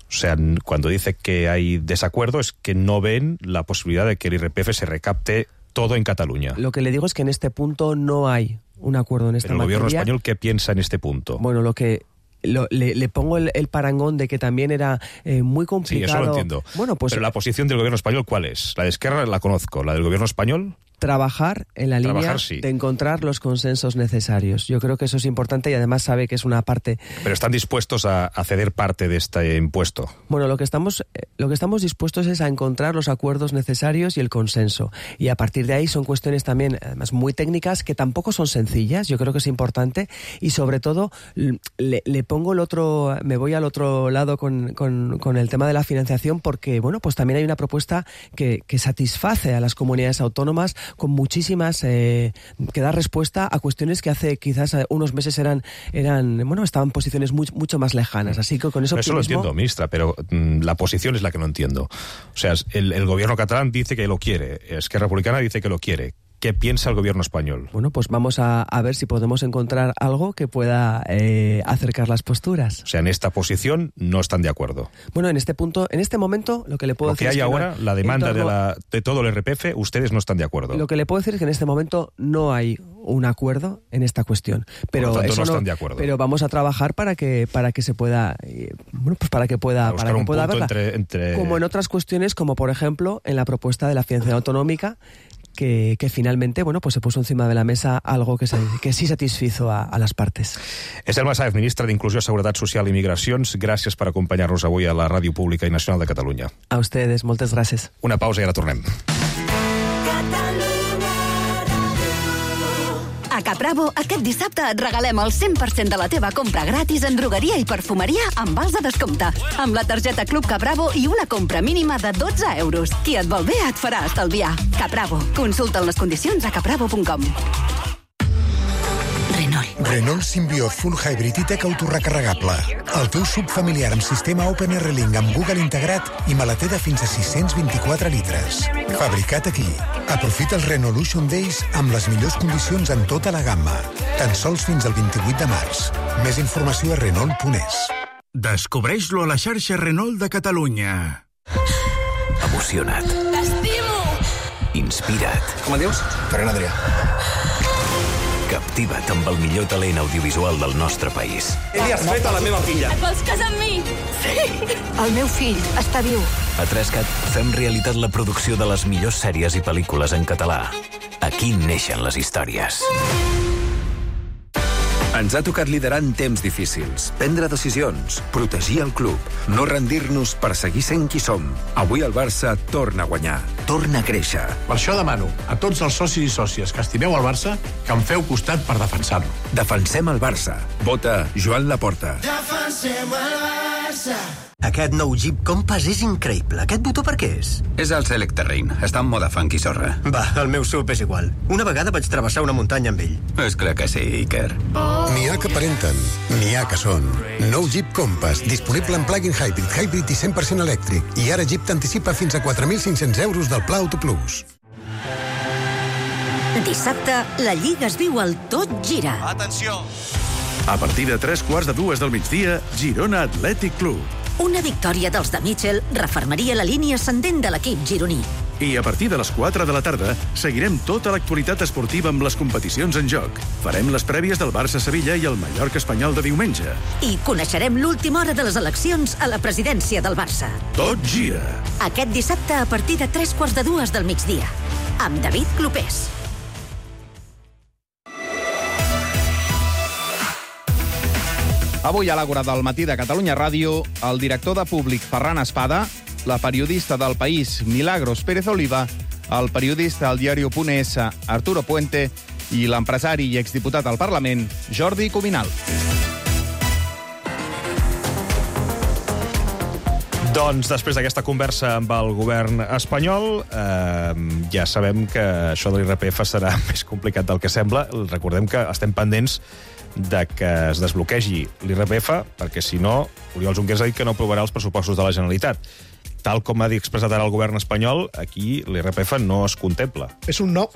O sea, cuando dice que hay desacuerdo es que no ven la posibilidad de que el I R P F se recapte todo en Cataluña. Lo que le digo es que en este punto no hay un acuerdo en esta materia. ¿El gobierno materia. español qué piensa en este punto? Bueno, lo que... Lo, le, le pongo el, el parangón de que también era eh, muy complicado. Sí, eso lo entiendo. Bueno, pues, pero la posición del gobierno español, ¿cuál es? La de Esquerra la conozco, la del gobierno español... Trabajar en la Trabajar, línea sí. de encontrar los consensos necesarios. Yo creo que eso es importante y además sabe que es una parte... Pero están dispuestos a, a ceder parte de este impuesto. Bueno, lo que estamos lo que estamos dispuestos es a encontrar los acuerdos necesarios y el consenso. Y a partir de ahí son cuestiones también, además, muy técnicas que tampoco son sencillas. Yo creo que es importante y sobre todo le, le pongo el otro... Me voy al otro lado con, con, con el tema de la financiación porque, bueno, pues también hay una propuesta que, que satisface a las comunidades autónomas con muchísimas eh, que da respuesta a cuestiones que hace quizás unos meses eran eran bueno estaban en posiciones muy, mucho más lejanas, así que con eso eso lo entiendo, ministra, pero mmm, la posición es la que no entiendo. O sea, el, el gobierno catalán dice que lo quiere, Esquerra Republicana dice que lo quiere. ¿Qué piensa el gobierno español? Bueno, pues vamos a, a ver si podemos encontrar algo que pueda eh, acercar las posturas. O sea, en esta posición no están de acuerdo. Bueno, en este punto, en este momento, lo que le puedo lo que decir hay es que ahora, no, la demanda torno, de, la, de todo el R P F, ustedes no están de acuerdo. Lo que le puedo decir es que en este momento no hay un acuerdo en esta cuestión. Pero Por lo tanto, eso no están no, de acuerdo. Pero vamos a trabajar para que para que se pueda, eh, bueno, pues para que pueda, para, para que un pueda punto haberla. Entre, entre... Como en otras cuestiones, como por ejemplo en la propuesta de la financiación autonómica. Que, que finalmente, bueno, pues se puso encima de la mesa algo que, se, que sí satisfizo a, a les partes. Estelma Sáez, ministra d'Inclusió, Seguretat Social i Migracions, gràcies per acompanyar-nos avui a la Ràdio Pública i Nacional de Catalunya. A ustedes, moltes gràcies. Una pausa i ara tornem. A Capravo, aquest dissabte et regalem el cent per cent de la teva compra gratis en drogueria i perfumeria amb vals de descompte. Amb la targeta Club Capravo i una compra mínima de dotze euros. Qui et vol bé et farà estalviar. Capravo. Consulta les condicions a capravo punt com. Renault. Renault Symbiote Full Hybrid i Tech autorrecarregable. El teu sub familiar amb sistema Open R Link amb Google integrat i maleter de fins a sis-cents vint-i-quatre litres. Fabricat aquí. Aprofita els Renaulution Days amb les millors condicions en tota la gamma. Tan sols fins al vint-i-vuit de març. Més informació a Renault punt es. Descobreix-lo a la xarxa Renault de Catalunya. Emociona't. T'estimo! Inspira't. Com et dius? Ferran Adrià. Captiva't amb el millor talent audiovisual del nostre país. Què li has fet a la meva filla? Et vols casar amb mi? Sí! El meu fill està viu. A Trescat fem realitat la producció de les millors sèries i pel·lícules en català. Aquí neixen les històries. Ens ha tocat liderar en temps difícils, prendre decisions, protegir el club, no rendir-nos per seguir sent qui som. Avui el Barça torna a guanyar, torna a créixer. Per això demano a tots els socis i sòcies que estimeu el Barça que em feu costat per defensar-lo. Defensem el Barça. Vota Joan Laporta. Defensem el Barça. Aquest nou Jeep Compass és increïble. Aquest botó per què és? És el Select Terrain. Està en moda funky sorra. Va, el meu sub és igual. Una vegada vaig travessar una muntanya amb ell. És clar que sí, Iker. N'hi ha que aparenten, n'hi ha que són. Nou Jeep Compass, disponible en plug-in hybrid, hybrid i cent per cent elèctric. I ara Jeep t'anticipa fins a quatre mil cinc-cents euros del Pla Auto Plus. Dissabte, la Lliga es viu al Tot Gira. Atenció! A partir de tres quarts de dues del migdia, Girona Atlètic Club. Una victòria dels de Mitchell refermaria la línia ascendent de l'equip gironí. I a partir de les quatre de la tarda seguirem tota l'actualitat esportiva amb les competicions en joc. Farem les prèvies del Barça-Sevilla i el Mallorca-Espanyol de diumenge. I coneixerem l'última hora de les eleccions a la presidència del Barça. Tot gira. Aquest dissabte a partir de tres quarts de dues del migdia. Amb David Clopés. Avui a l'Àgora del matí de Catalunya Ràdio, el director de Públic Ferran Espada, la periodista del País Milagros Pérez Oliva, el periodista del diario.es Arturo Puente i l'empresari i exdiputat al Parlament Jordi Cuminal. Doncs després d'aquesta conversa amb el govern espanyol, eh, ja sabem que això de l'I R P F serà més complicat del que sembla. Recordem que estem pendents de que es desbloquegi l'I R P F, perquè si no, Oriol Junqueras ha dit que no aprovarà els pressupostos de la Generalitat. Tal com ha dit expressat ara el govern espanyol, aquí l'I R P F no es contempla. És un no.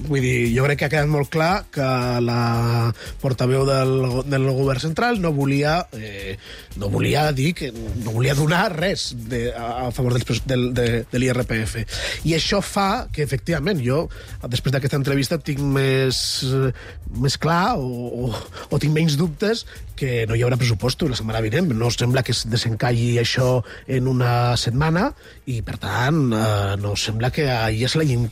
Vull dir, jo crec que ha quedat molt clar que la portaveu del, del govern central no volia eh, no volia dir que no volia donar res de, a, a favor del, del, de, de l'I R P F. I això fa que, efectivament, jo, després d'aquesta entrevista, tinc més, més clar o, o, o tinc menys dubtes que no hi haurà pressupostos la setmana vinent. No sembla que es desencalli això en una setmana i, per tant, eh, no sembla que ja se l'hagin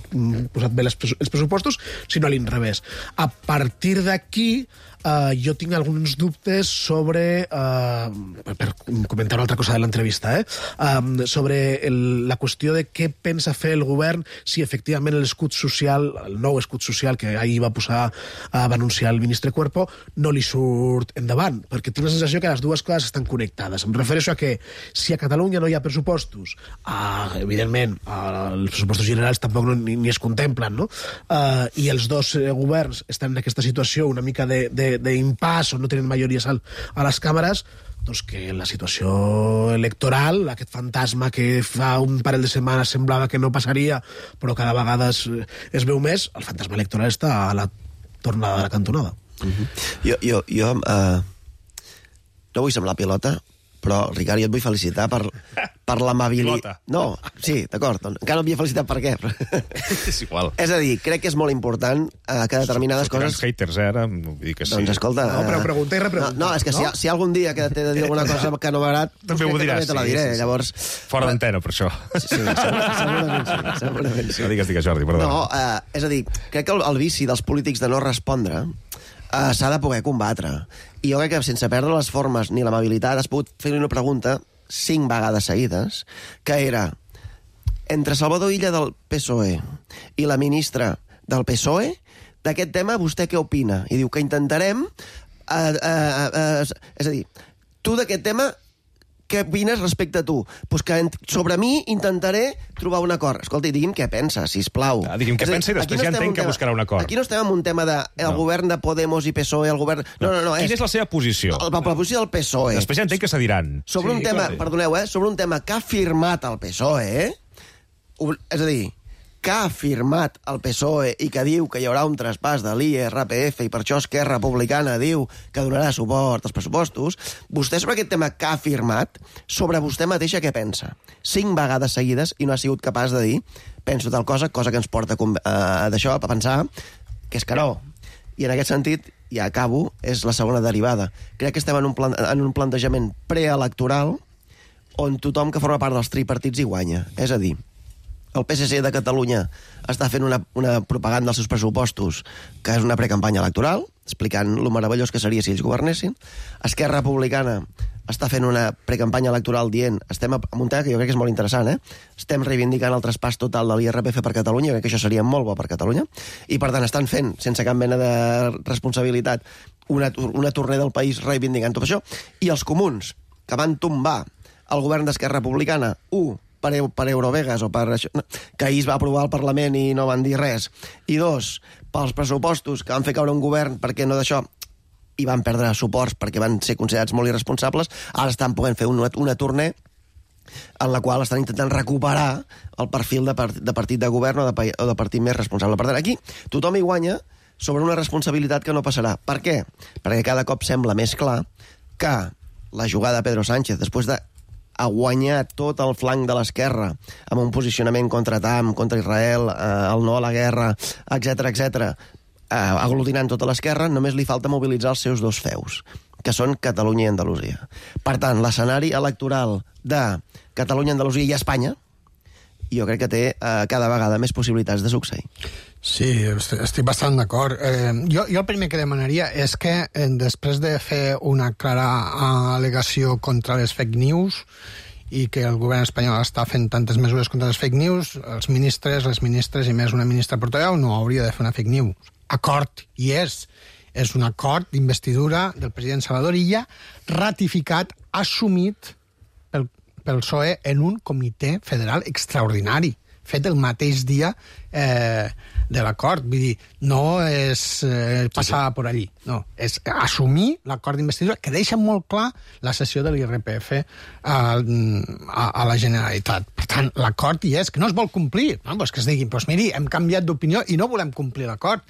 posat bé les, els pressupostos, sinó a l'inrevés. A partir d'aquí, Uh, jo tinc alguns dubtes sobre, uh, per comentar una altra cosa de l'entrevista, eh? um, sobre el, la qüestió de què pensa fer el govern si efectivament l'escut social, el nou escut social que ahir va posar, uh, va anunciar el ministre Cuerpo, no li surt endavant, perquè tinc la sensació que les dues coses estan connectades. Em refereixo a que si a Catalunya no hi ha pressupostos, uh, evidentment, uh, els pressupostos generals tampoc no, ni, ni es contemplen, no? Uh, i els dos uh, governs estan en aquesta situació una mica de, de d'impàs o no tenen majories al, a les càmeres, doncs que la situació electoral, aquest fantasma que fa un parell de setmanes semblava que no passaria, però cada vegada es, es veu més, el fantasma electoral està a la tornada de la cantonada. Uh-huh. Jo, jo, jo uh, no vull semblar pilota, però, Ricard, jo et vull felicitar per, per l'amabilitat... No, sí, d'acord. Encara no m'havia felicitat per què. És igual. És a dir, crec que és molt important eh, que determinades coses... Són haters, eh, ara? Vull dir que sí. Doncs, escolta... No, però pregunta i repregunta. No, no, és que no? Si, si algun dia que t'he de dir alguna cosa que no m'agrada... També ho diràs. Te la diré, sí, sí, sí. llavors... Fora d'antena, per això. Sí, segurament sí, segurament sí. No digues, digues, Jordi, perdó. No, eh, és a dir, crec que el, el vici dels polítics de no respondre eh, s'ha de poder combatre. I jo crec que sense perdre les formes ni l'amabilitat has pogut fer-li una pregunta cinc vegades seguides, que era entre Salvador Illa del P S O E i la ministra del P S O E, d'aquest tema vostè què opina? I diu que intentarem... Eh, eh, eh, és a dir, tu d'aquest tema què opines respecte a tu? Pues que sobre mi intentaré trobar un acord. Escolta, digui'm què pensa, sisplau. Ah, digui'm què pensa i després no ja entenc que buscarà un acord. Aquí no estem en un tema del de, no. govern de Podemos i P S O E, el govern... No, no, no. Quina és, és la seva posició? La, la posició del P S O E. Després ja entenc que se diran. Sobre sí, un tema, clar. Perdoneu, eh? Sobre un tema que ha firmat el P S O E, eh? És a dir, que ha firmat el P S O E i que diu que hi haurà un traspàs de l'I R P F i per això Esquerra Republicana diu que donarà suport als pressupostos, vostè sobre aquest tema que ha firmat, sobre vostè mateixa què pensa? Cinc vegades seguides i no ha sigut capaç de dir penso tal cosa, cosa que ens porta a, d'això a pensar que és que no. I en aquest sentit, ja acabo, és la segona derivada. Crec que estem en un, plan, en un plantejament preelectoral on tothom que forma part dels tripartits hi guanya. És a dir, el P S C de Catalunya està fent una, una propaganda als seus pressupostos que és una precampanya electoral, explicant lo meravellós que seria si ells governessin. Esquerra Republicana està fent una precampanya electoral dient estem en un tema que jo crec que és molt interessant, eh? Estem reivindicant el traspàs total de l'I R P F per Catalunya, crec que això seria molt bo per Catalunya, i per tant estan fent, sense cap mena de responsabilitat, una, una tornada del país reivindicant tot això, i els comuns, que van tombar el govern d'Esquerra Republicana, u, per, per Eurovegas o per això, que ahir es va aprovar al Parlament i no van dir res, i dos, pels pressupostos que van fer caure un govern perquè no d'això i van perdre suports perquè van ser considerats molt irresponsables, ara estan podent fer una, una tornada en la qual estan intentant recuperar el perfil de, part, de partit de govern o de, o de partit més responsable. Per tant, aquí tothom hi guanya sobre una responsabilitat que no passarà. Per què? Perquè cada cop sembla més clar que la jugada de Pedro Sánchez, després de a guanyar tot el flanc de l'esquerra amb un posicionament contra Trump, contra Israel, eh, el no a la guerra, etcètera, etcètera, eh, aglutinant tota l'esquerra, només li falta mobilitzar els seus dos feus, que són Catalunya i Andalusia. Per tant, l'escenari electoral de Catalunya, Andalusia i Espanya, jo crec que té eh, cada vegada més possibilitats de succeir. Sí, estic bastant d'acord. Eh, jo, jo el primer que demanaria és que eh, després de fer una clara al·legació contra les fake news i que el govern espanyol està fent tantes mesures contra les fake news, els ministres, les ministres i més una ministra portaveu no hauria de fer una fake news. Acord, i és. És un acord d'investidura del president Salvador Illa ratificat, assumit pel, pel P S O E en un comitè federal extraordinari, fet el mateix dia eh, de l'acord. Vull dir, no és eh, passar per allí, no. És assumir l'acord d'investidura que deixa molt clar la cessió de l'I R P F a, a, a la Generalitat. Per tant, l'acord hi és, que no es vol complir. No? Pues que es diguin, pues miri, hem canviat d'opinió i no volem complir l'acord.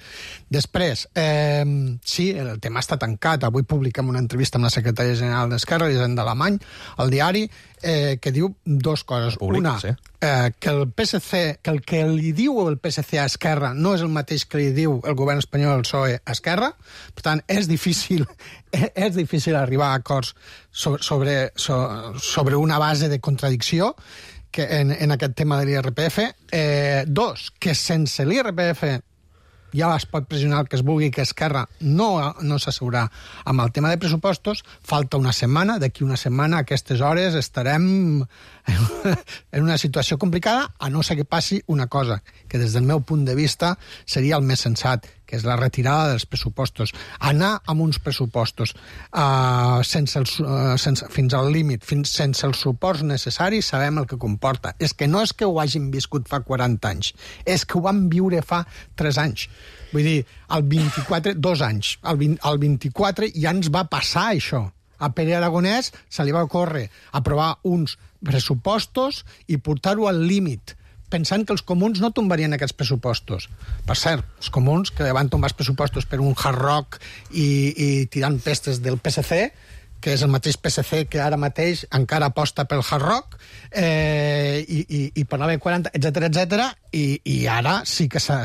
Després, eh, sí, el tema està tancat. Avui publiquem una entrevista amb la secretària general d'Esquerra, Elisenda Alemany, al diari, eh, que diu dos coses. Públic, una, sí. eh, que el P S C, que el que li diu el P S C a Esquerra no és el mateix que li diu el govern espanyol al P S O E a Esquerra. Per tant, és difícil, és difícil arribar a acords sobre, sobre una base de contradicció que en, en aquest tema de l'I R P F. Eh, dos, que sense l'I R P F ja es pot pressionar el que es vulgui que Esquerra no, no s'asseurà amb el tema de pressupostos. Falta una setmana, d'aquí una setmana a aquestes hores estarem en una situació complicada, a no ser que passi una cosa, que des del meu punt de vista seria el més sensat, que és la retirada dels pressupostos. Anar amb uns pressupostos uh, sense els, uh, sense, fins al límit, fins, sense els suports necessaris, sabem el que comporta. És que no és que ho hagin viscut fa quaranta anys, és que ho vam viure fa tres anys. Vull dir, el vint-i-quatre, dos anys, el, vint, el vint-i-quatre ja ens va passar això. A Pere Aragonès se li va ocórrer aprovar uns pressupostos i portar-ho al límit, pensant que els comuns no tombarien aquests pressupostos. Per cert, els comuns que van tombar els pressupostos per un hard rock i, i tirant pestes del P S C, que és el mateix P S C que ara mateix encara aposta pel hard rock, eh, i, i, i per la B quaranta, etcètera, etcètera, i, i ara sí que s'ha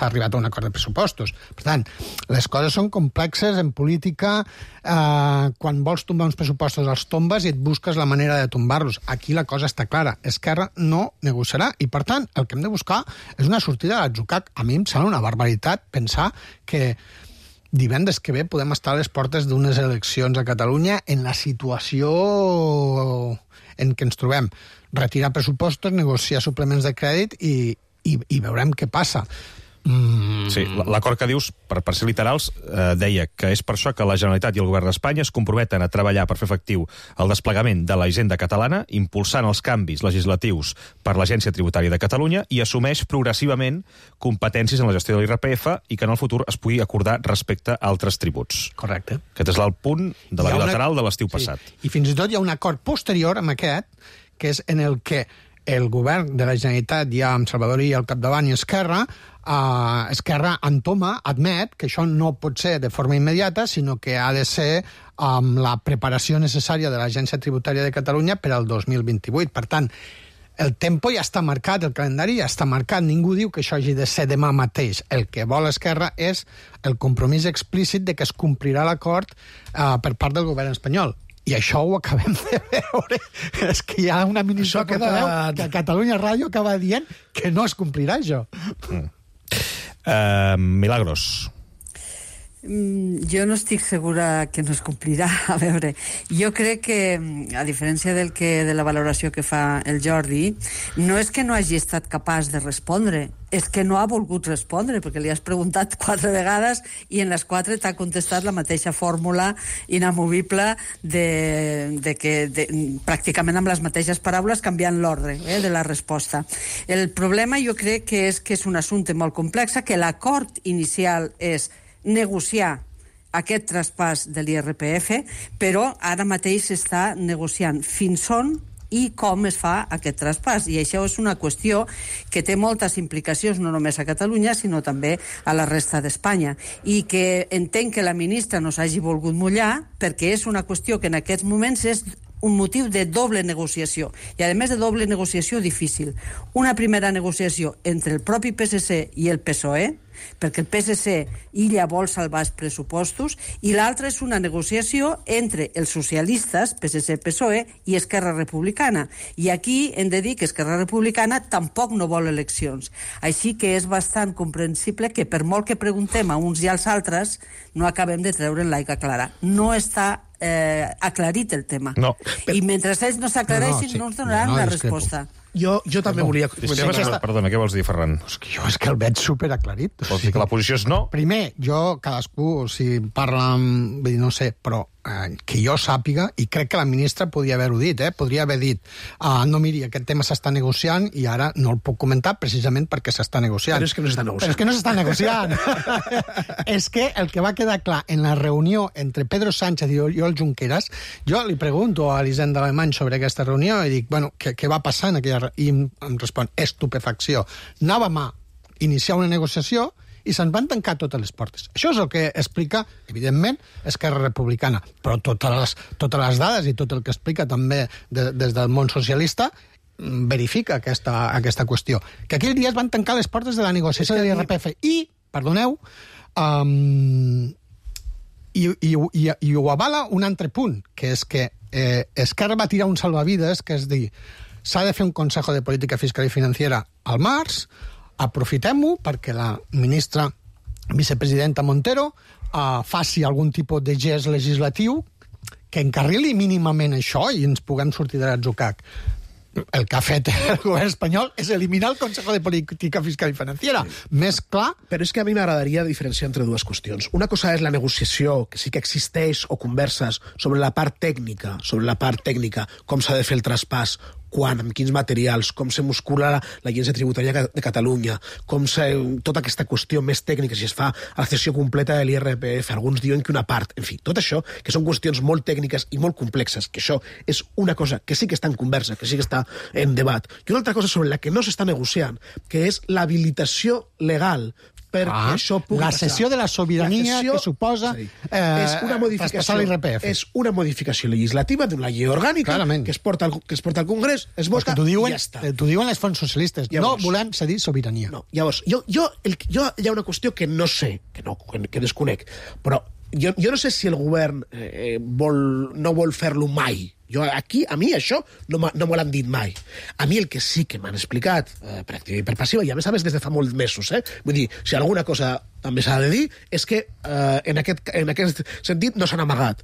arribat a un acord de pressupostos. Per tant, les coses són complexes en política. Eh, quan vols tombar uns pressupostos els tombes i et busques la manera de tombar-los. Aquí la cosa està clara. Esquerra no negociarà i, per tant, el que hem de buscar és una sortida de l'atzucac. A mi em sembla una barbaritat pensar que divendres que ve podem estar a les portes d'unes eleccions a Catalunya en la situació en què ens trobem. Retirar pressupostos, negociar suplements de crèdit i, i, i veurem què passa. Mm. Sí, l'acord que dius, per, per ser literals, eh, deia que és per això que la Generalitat i el Govern d'Espanya es comprometen a treballar per fer efectiu el desplegament de la hisenda catalana, impulsant els canvis legislatius per l'Agència Tributària de Catalunya i assumeix progressivament competències en la gestió de l'I R P F i que en el futur es pugui acordar respecte a altres tributs. Correcte. Aquest és el punt de la bilateral una... de l'estiu sí. passat. I fins i tot hi ha un acord posterior amb aquest, que és en el que el govern de la Generalitat, ja amb Salvador Illa al capdavant i Esquerra, Uh, Esquerra entoma, admet que això no pot ser de forma immediata, sinó que ha de ser amb um, la preparació necessària de l'Agència Tributària de Catalunya per al dos mil vint-i-vuit. Per tant, el tempo ja està marcat, el calendari ja està marcat. Ningú diu que això hagi de ser demà mateix. El que vol Esquerra és el compromís explícit de que es complirà l'acord uh, per part del govern espanyol. I això ho acabem de veure. És que hi ha una ministra portaveu que a Catalunya Ràdio acaba dient que no es complirà això. Mm. Uh, Milagros. Mm, jo no estic segura que no es complirà. A veure, jo crec que, a diferència del que, de la valoració que fa el Jordi, no és que no hagi estat capaç de respondre, és que no ha volgut respondre, perquè li has preguntat quatre vegades i en les quatre t'ha contestat la mateixa fórmula inamovible de, de que de, pràcticament amb les mateixes paraules canviant l'ordre eh, de la resposta. El problema jo crec que és que és un assumpte molt complex, que l'acord inicial és negociar aquest traspàs de l'I R P F, però ara mateix s'està negociant fins on i com es fa aquest traspàs. I això és una qüestió que té moltes implicacions, no només a Catalunya, sinó també a la resta d'Espanya. I que entenc que la ministra no s'hagi volgut mullar, perquè és una qüestió que en aquests moments és un motiu de doble negociació, i a més de doble negociació difícil. Una primera negociació entre el propi P S C i el P S O E, perquè el P S C illa vol salvar els pressupostos, i l'altra és una negociació entre els socialistes, P S C, P S O E, i Esquerra Republicana. I aquí hem de dir que Esquerra Republicana tampoc no vol eleccions. Així que és bastant comprensible que per molt que preguntem a uns i als altres, no acabem de treure'n l'aigua clara. No està eh, aclarit el tema. No. I mentre ells no s'aclareixin, no, no, sí. no ens donaran no, no, una resposta. Jo, jo també volia... Sí, sí, aquesta... Perdona, què vols dir, Ferran? Pues que jo és que el veig superaclarit. Vols dir que la posició és no? Primer, jo, cadascú, si parla amb... Vull dir, no sé, però eh, que jo sàpiga, i crec que la ministra podria haver-ho dit, eh? Podria haver dit, ah, no, miri, aquest tema s'està negociant i ara no el puc comentar precisament perquè s'està negociant. Però és que no s'està negociant. Però és que no s'està negociant. És que el que va quedar clar en la reunió entre Pedro Sánchez i Oriol Junqueras, jo li pregunto a Elisenda Alemany sobre aquesta reunió i dic, bueno, què, què va passar en aquella i em, em respon, estupefacció. Anàvem a iniciar una negociació i se'n van tancar totes les portes. Això és el que explica, evidentment, Esquerra Republicana, però totes les, totes les dades i tot el que explica també de, des del món socialista verifica aquesta, aquesta qüestió. Que aquell dia es van tancar les portes de la negociació de l'I R P F i, perdoneu, um, i, i, i, i ho avala un altre punt, que és que eh, Esquerra va tirar un salvavides, que és dir, s'ha de fer un Consejo de Política Fiscal i Financiera al març, aprofitem-ho perquè la ministra vicepresidenta Montero uh, faci algun tipus de gest legislatiu que encarrili mínimament això i ens puguem sortir de l'atzucac. El que ha fet el govern espanyol és eliminar el Consejo de Política Fiscal i Financiera. Sí. Més clar... Però és que a mi m'agradaria diferenciar entre dues qüestions. Una cosa és la negociació, que sí que existeix, o converses sobre la part tècnica, sobre la part tècnica, com s'ha de fer el traspàs, quan, amb quins materials, com se muscula la, l'Agència Tributària de Catalunya, com se, tota aquesta qüestió més tècnica, si es fa a la cessió completa de l'I R P F, alguns diuen que una part, en fi, tot això, que són qüestions molt tècniques i molt complexes, que això és una cosa que sí que està en conversa, que sí que està en debat. I una altra cosa sobre la que no s'està negociant, que és l'habilitació legal perquè ah, això pugui la passar. cessió de la sobirania la cessió, que suposa sí. eh, és una modificació l'I R P F. És una modificació legislativa d'una llei orgànica que es, porta al, que es porta al Congrés, es vota pues diuen, i ja està. T'ho diuen les fonts socialistes. Llavors, no volem cedir sobirania. No, llavors, jo, jo, el, jo hi ha una qüestió que no sé, que, no, que desconec, però jo, jo no sé si el govern eh, vol, no vol fer-lo mai. Jo aquí, a mi, això no, no me l'han dit mai. A mi el que sí que m'han explicat, eh, per activa i per passiva, i a més a més des de fa molts mesos, eh? Vull dir, si alguna cosa també s'ha de dir, és que eh, en, aquest, en aquest sentit no s'han amagat.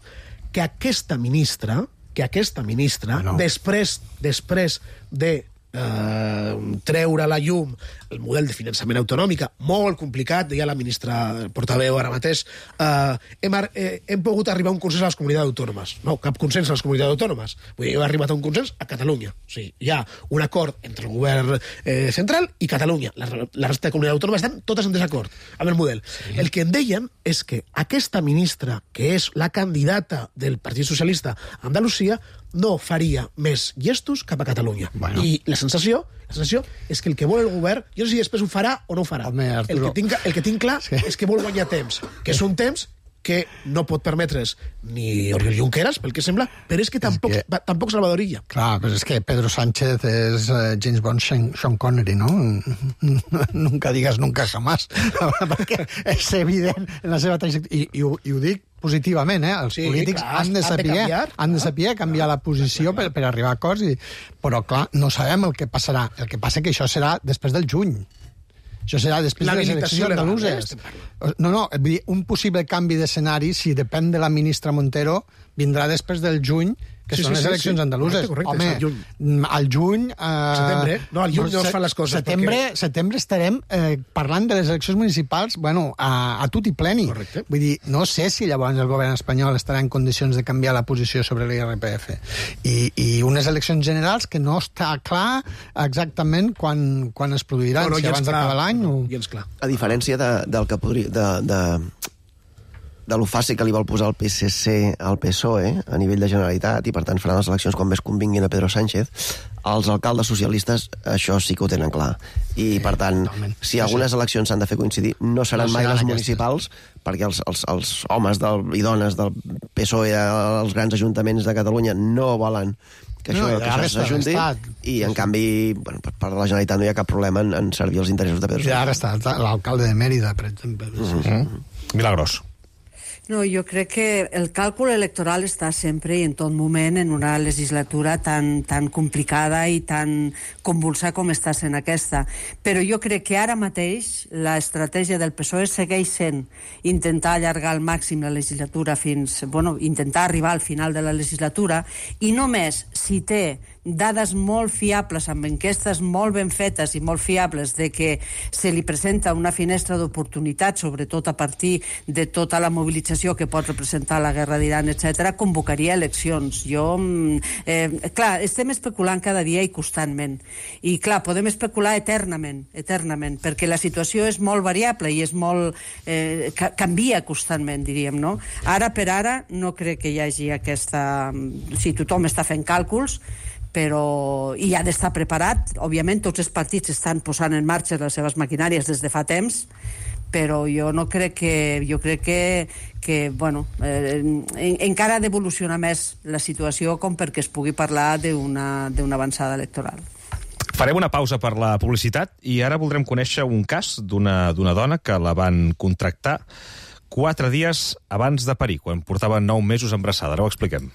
Que aquesta ministra, que aquesta ministra, no. després, després de eh, treure a la llum el model de finançament autonòmica, molt complicat, deia la ministra portaveu ara mateix, eh, hem, eh, hem pogut arribar a un consens a les comunitats autònomes. No, cap consens a les comunitats autònomes. Vull dir, hem arribat a un consens a Catalunya. O sigui, hi ha un acord entre el govern eh, central i Catalunya. La, la resta de comunitats autònomes estan totes en desacord amb el model. Sí. El que em deien és que aquesta ministra, que és la candidata del Partit Socialista a Andalusia, no faria més gestos cap a Catalunya. Bueno. I la sensació, la sensació és que el que vol el govern, jo no sé si després ho farà o no ho farà. Home, el, que tinc, el que tinc clar sí. és que vol guanyar temps, que és un temps que no pot permetre's ni Oriol Junqueras, pel que sembla, però és que tampoc, és que... tampoc Salvador Illa. Clar, però és que Pedro Sánchez és uh, James Bond Sean, Sean Connery, no? Nunca digas nunca jamás. Perquè és evident en la seva trajectòria. I, i, ho, I ho dic positivament, eh? Els sí, polítics clar, han de saber, han de canviar, han de saber canviar la posició per, per arribar a acords, i... però clar, no sabem el que passarà. El que passa que això serà després del juny. Això serà després de les eleccions andaluses. No, no, un possible canvi d'escenari, si depèn de la ministra Montero, vindrà després del juny, que sí, són sí, les eleccions sí, andaluses. Correcte, correcte, home, al juny... Eh, setembre, no, al juny no es fan les coses. Setembre, perquè... setembre estarem eh, parlant de les eleccions municipals, bueno, a, a tut i pleni. Correcte. Vull dir, no sé si llavors el govern espanyol estarà en condicions de canviar la posició sobre l'I R P F. I, i unes eleccions generals que no està clar exactament quan, quan es produiran, no, no, si abans d'acabar l'any no, o... Gens clar. A diferència de, del que podria... De, de... de lo fàcil que li vol posar el P S C al P S O E a nivell de Generalitat, i per tant faran les eleccions quan més convinguin a Pedro Sánchez, els alcaldes socialistes això sí que ho tenen clar. I, per tant, si algunes eleccions s'han de fer coincidir, no seran mai les municipals, perquè els, els, els homes del, i dones del P S O E als grans ajuntaments de Catalunya no volen que això, No, que això s'ajunti, i en canvi, bueno, per part de la Generalitat no hi ha cap problema en, en servir els interessos de Pedro Sánchez. I ara està l'alcalde de Mèrida, per exemple. Mm-hmm. Milagros. No, jo crec que el càlcul electoral està sempre i en tot moment en una legislatura tan, tan complicada i tan convulsa com està sent aquesta. Però jo crec que ara mateix l'estratègia del P S O E segueix sent intentar allargar al màxim la legislatura fins... Bueno, intentar arribar al final de la legislatura, i només si té dades molt fiables, amb enquestes molt ben fetes i molt fiables, de que se li presenta una finestra d'oportunitat, sobretot a partir de tota la mobilització que pot representar la guerra d'Iran, etcètera, convocaria eleccions. Jo, eh, clar, estem especulant cada dia i constantment. I, clar, podem especular eternament, eternament, perquè la situació és molt variable i és molt... Eh, canvia constantment, diríem, no? Ara per ara no crec que hi hagi aquesta... Si tothom està fent càlculs, però hi ha d'estar preparat. Òbviament, tots els partits estan posant en marxa les seves maquinàries des de fa temps, però jo no crec que... Jo crec que, que bueno, eh, en, encara ha d'evolucionar més la situació com perquè es pugui parlar d'una d'una avançada electoral. Farem una pausa per la publicitat i ara voldrem conèixer un cas d'una d'una dona que la van contractar quatre dies abans de parir, quan portava nou mesos embarassada. Ara ho expliquem.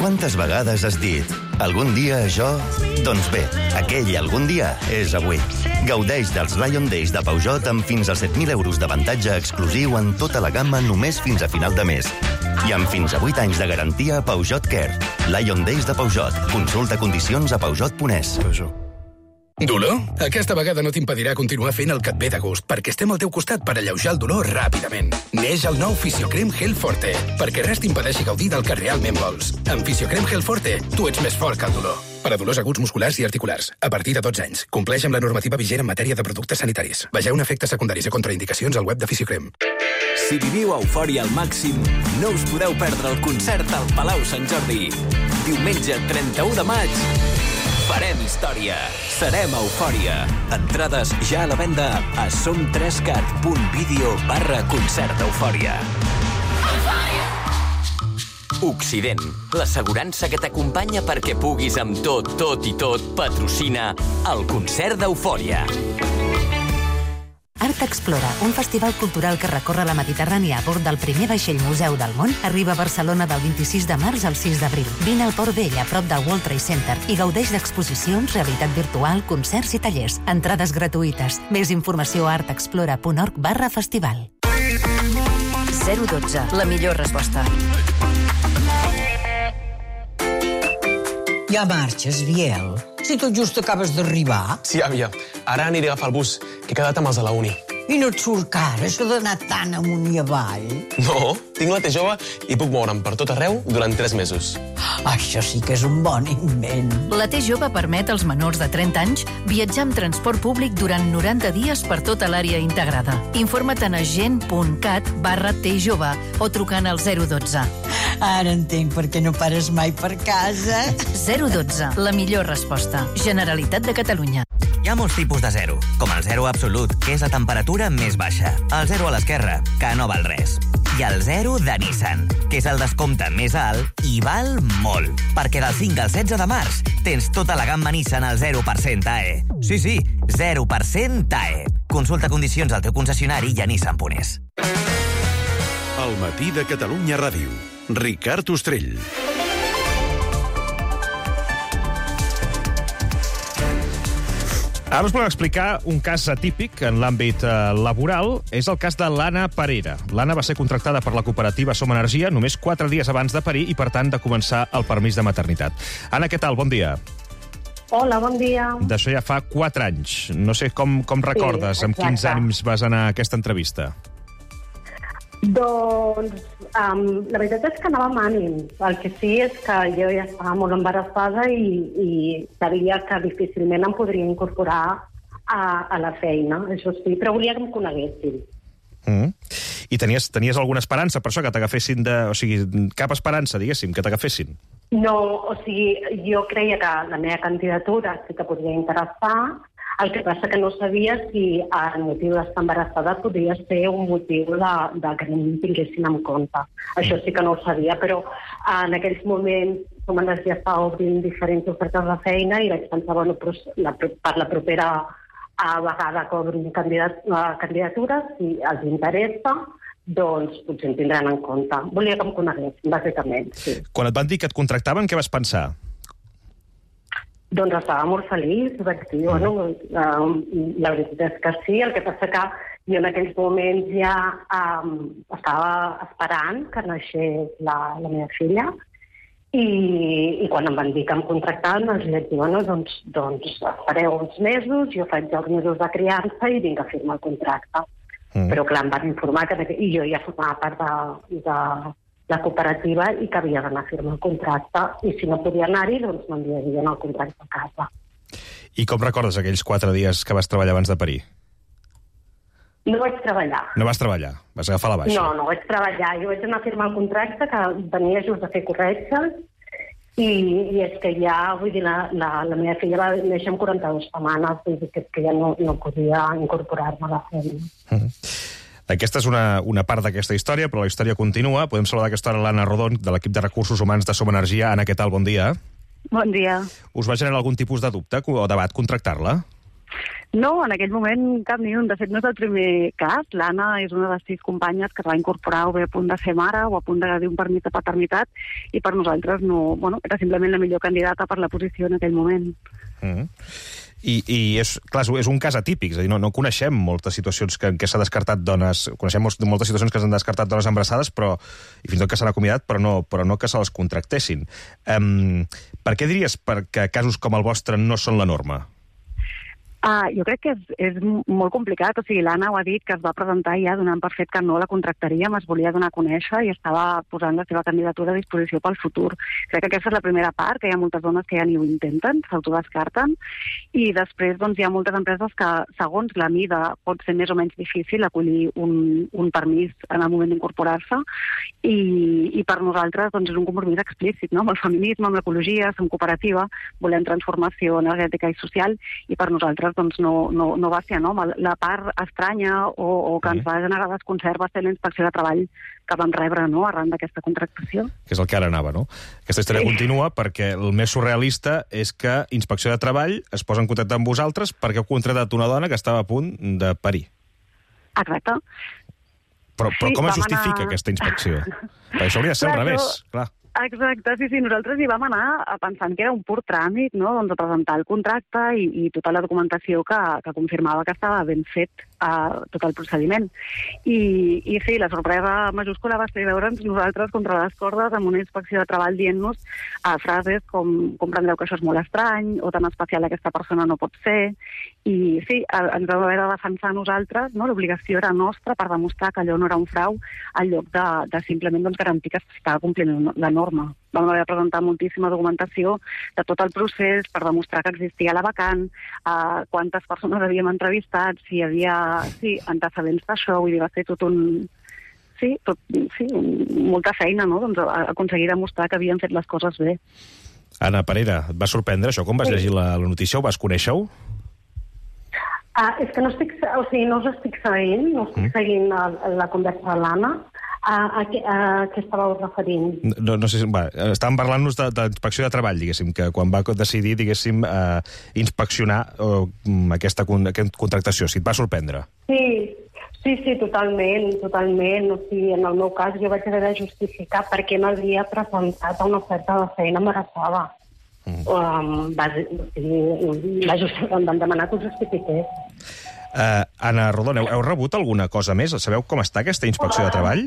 Quantes vegades has dit algun dia això? Doncs bé, aquell algun dia és avui. Gaudeix dels Lion Days de Peugeot amb fins a set mil euros d'avantatge exclusiu en tota la gamma només fins a final de mes. I amb fins a vuit anys de garantia a Peugeot Care. Lion Days de Peugeot. Consulta condicions a peugeot punt es. Dolor? Aquesta vegada no t'impedirà continuar fent el que et ve de gust, perquè estem al teu costat per alleujar el dolor ràpidament. Neix el nou Fisiocrem Gel Forte, perquè res t'impedeixi gaudir del que realment vols. Amb Fisiocrem Gel Forte, tu ets més fort que el dolor. Per a dolors aguts musculars i articulars, a partir de dotze anys. Compleix amb la normativa vigent en matèria de productes sanitaris. Vegeu efectes secundaris i contraindicacions al web de Fisiocrem. Si viviu eufòria al màxim, no us podeu perdre el concert al Palau Sant Jordi. Diumenge trenta-u de maig, farem història. Serem eufòria. Entrades ja a la venda a som tres cat punt video barra concert eufòria. Occident, l'assegurança que t'acompanya perquè puguis amb tot, tot i tot patrocina el concert d'eufòria. Art Explora, un festival cultural que recorre la Mediterrània a bord del primer vaixell museu del món, arriba a Barcelona del vint-i-sis de març al sis d'abril. Vine al Port Vell, a prop del World Trade Center, i gaudeix d'exposicions, realitat virtual, concerts i tallers. Entrades gratuïtes. Més informació a artexplora punt org barra festival. zero dotze, la millor resposta. Ja marxes, Biel? Si tot just acabes d'arribar. Sí, àvia. Ara aniré a agafar el bus, que he quedat amb els de la uni. I no et surt car, això d'anar tan amunt i avall? No, tinc la T jove i puc moure'm per tot arreu durant tres mesos. Això sí que és un bon invent. La T jove permet als menors de trenta anys viatjar amb transport públic durant noranta dies per tota l'àrea integrada. Informa't a agent punt cat barra T jove o trucant al zero dotze. Ara entenc per què no pares mai per casa. zero dotze, la millor resposta. Generalitat de Catalunya. Hi ha molts tipus de zero, com el zero absolut, que és la temperatura més baixa. El zero a l'esquerra, que no val res. I el zero de Nissan, que és el descompte més alt i val molt. Perquè del cinc al setze de març tens tota la gamma Nissan al zero per cent A E. Sí, sí, zero per cent A E. Consulta condicions al teu concessionari i a nissan punt es. El matí de Catalunya Ràdio. Ricard Ostrell. Ara us volem explicar un cas atípic en l'àmbit eh, laboral. És el cas de l'Anna Parera. L'Anna va ser contractada per la cooperativa Som Energia només quatre dies abans de parir i, per tant, de començar el permís de maternitat. Anna, què tal? Bon dia. Hola, bon dia. D'això ja fa quatre anys. No sé com, com recordes, sí, amb quins ànims vas anar a aquesta entrevista. Doncs um, la veritat és que anava amb ànims. El que sí és que jo ja estava molt embarassada i, i sabia que difícilment em podria incorporar a, a la feina, això sí, però volia que em coneguessin. Mm. I tenies, tenies alguna esperança per això, que t'agafessin de... O sigui, cap esperança, diguéssim, que t'agafessin? No, o sigui, jo creia que la meva candidatura sí que podria interessar, el que passa que no sabia si el motiu d'estar embarassada podria ser un motiu de, de que no em tinguessin en compte. Això sí que no ho sabia, però en aquells moments com ens ja estava obrint diferents ofertes de feina i vaig pensar, bueno, però la, per la propera a vegada que obrin candidat, candidatures, si els interessa, doncs potser em tindran en compte. Volia que em coneguessin, bàsicament, sí. Quan et van dir que et contractaven, què vas pensar? Doncs estava molt feliç, vaig dir, bueno, la veritat és que sí, el que passa que jo en aquells moments ja um, estava esperant que naixés la, la meva filla, I, i quan em van dir que em contractaven, els vaig dir, bueno, doncs, doncs espereu uns mesos, jo faig els mesos de criança i vinc a firmar el contracte. Mm. Però clar, em van informar que... I jo ja formava part de, de la cooperativa i que havia d'anar a firmar el contracte, i si no podia anar-hi, doncs m'enviarien el contracte a casa. I com recordes aquells quatre dies que vas treballar abans de parir? No vaig treballar. No vas treballar? Vas agafar la baixa? No, no vaig treballar. Jo vaig anar a firmar el contracte, que venia just a fer corretges, i, i és que ja, vull dir, la, la, la meva filla va néixer amb quaranta-dues setmanes, vull dir que, que ja no, no podia incorporar-me a la feina. Mm-hmm. Aquesta és una, una part d'aquesta història, però la història continua. Podem saludar aquesta hora l'Anna Rodon, de l'equip de recursos humans de Som Energia. Anna, què tal? Bon dia. Bon dia. Us va generar algun tipus de dubte o debat contractar-la? No, en aquell moment cap ni un. De fet, no és el primer cas. L'Anna és una de les sis companyes que es va incorporar o bé a punt de ser mare o a punt de dir un permís de paternitat, i per nosaltres no, bueno, era simplement la millor candidata per la posició en aquell moment. Mm. I, i és, clar, és un cas atípic, és a dir, no, no coneixem moltes situacions que, en què s'ha descartat dones, coneixem moltes situacions que s'han descartat dones embarassades, però, i fins i tot que s'han acomiadat, però no, però no que se les contractessin. Um, per què diries que casos com el vostre no són la norma? Uh, jo crec que és, és molt complicat. O sigui, l'Anna ho ha dit, que es va presentar ja donant per fet que no la contractaríem, es volia donar a conèixer i estava posant la seva candidatura a disposició pel futur. Crec que aquesta és la primera part, que hi ha moltes dones que ja ni ho intenten, s'autodescarten, i després doncs, hi ha moltes empreses que, segons la mida, pot ser més o menys difícil acollir un, un permís en el moment d'incorporar-se, i, i per nosaltres doncs, és un compromís explícit, no? Amb el feminisme, amb l'ecologia, som cooperativa, volem transformació energètica i social, i per nosaltres doncs no, no, no va ser, no? La part estranya o, o que ens va generar desconcert va ser la inspecció de treball que vam rebre, no?, arran d'aquesta contractació. Que és el que ara anava, no? Aquesta història sí. continua perquè el més surrealista és que Inspecció de Treball es posa en contacte amb vosaltres perquè heu contractat una dona que estava a punt de parir. Exacte. Però, però sí, com es justifica anar... aquesta inspecció? Perquè això hauria de ser al revés, clar. Exacte, sí, sí, nosaltres hi vam anar pensant que era un pur tràmit, no?, doncs a presentar el contracte i, i tota la documentació que, que confirmava que estava ben fet uh, tot el procediment. I, i sí, la sorpresa majúscula va ser veure'ns nosaltres contra les cordes amb una inspecció de treball dient-nos uh, frases com comprendreu que això és molt estrany o tan especial aquesta persona no pot ser. I sí, ens vam haver de defensar nosaltres, no?, l'obligació era nostra per demostrar que allò no era un frau en lloc de, de simplement doncs, garantir que s'estava complint la norma. Vam haver de presentar moltíssima documentació de tot el procés per demostrar que existia la vacant, eh, quantes persones havíem entrevistat, si hi havia sí, antecedents d'això, vull dir, va ser tot un... Sí, tot, sí molta feina, no?, doncs, aconseguir demostrar que havien fet les coses bé. Anna Parera, et va sorprendre això? Com vas sí. llegir la, la notícia? Ho vas conèixer-ho? Uh, és que no estic, o sigui, no us estic seguint, no estic mm. seguint la, la conversa de l'Anna. A, a, a, a què estàveu referint? No, no sé si... Va, estàvem parlant-nos d'inspecció de, de treball, diguéssim, que quan va decidir, diguéssim, eh, inspeccionar eh, aquesta, aquesta contractació. Si et va sorprendre? Sí, sí, sí, totalment, totalment. O sigui, en el meu cas jo vaig haver de justificar per què m'havia presentat a una oferta de feina embarassada. Mm. Um, va, va just, em van demanar que ho justifiqués. Uh, Anna Rodon, heu, heu rebut alguna cosa més? Sabeu com està aquesta inspecció de treball?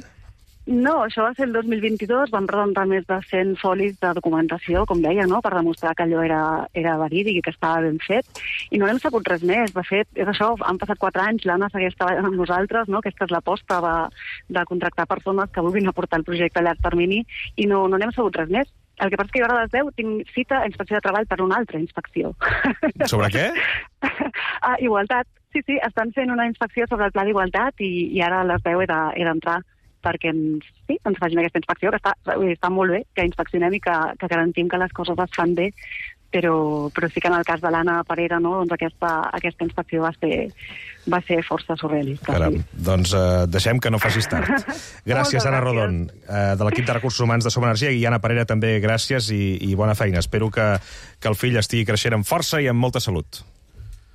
No, això va ser el dos mil vint-i-dos, vam presentar més de cent folis de documentació, com deia, no?, per demostrar que allò era, era verídic i que estava ben fet, i no n'hem sabut res més. De fet, és això, han passat quatre anys, l'Anna segueix treballant amb nosaltres, no?, aquesta és l'aposta de, de contractar persones que vulguin aportar el projecte a llarg termini, i no, no n'hem sabut res més. El que passa és que jo ara a les deu tinc cita a inspecció de treball per una altra inspecció. Sobre què? Ah, igualtat. Sí, sí, estan fent una inspecció sobre el pla d'igualtat i, i ara a les deu he d'entrar de, perquè ens, sí, ens facin aquesta inspecció, que està, està molt bé, que inspeccionem i que, que garantim que les coses es fan bé, però, però sí que en el cas de l'Anna Parera, no, doncs aquesta, aquesta inspecció va ser, va ser força surrealista. Caram, sí. Doncs uh, deixem que no facis tard. Gràcies, Anna Rodon, uh, de l'equip de Recursos Humans de Som Energia, i Anna Parera també gràcies i, i bona feina. Espero que, que el fill estigui creixent amb força i amb molta salut.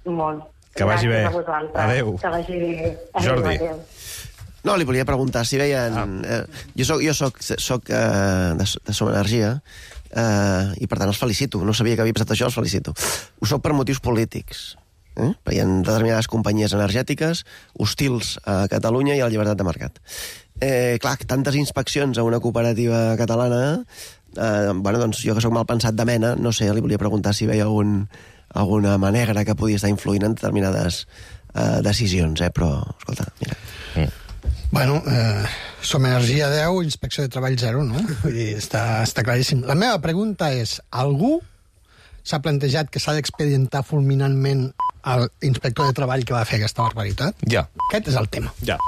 Molt. Que vagi bé. Adéu. Que vagi bé. Adéu, Jordi. Adéu. No, li volia preguntar si veien... Ah. Eh, jo soc, jo soc, soc eh, de, de Som Energia, eh, i per tant els felicito. No sabia que havia passat això, els felicito. Ho soc per motius polítics. Eh? Perquè hi ha determinades companyies energètiques hostils a Catalunya i a la llibertat de mercat. Eh, clar, tantes inspeccions a una cooperativa catalana, eh, bueno, doncs jo que sóc mal pensat de mena, no sé, li volia preguntar si veia algun, alguna mà negra que podia estar influint en determinades eh, decisions, eh? Però, escolta, mira... Mm. Bueno, eh, Som Energia deu, inspecció de treball zero, no? Vull dir, està, està claríssim. La meva pregunta és, algú s'ha plantejat que s'ha d'expedientar fulminantment l'inspector de treball que va fer aquesta barbaritat? Ja. Aquest és el tema. Ja.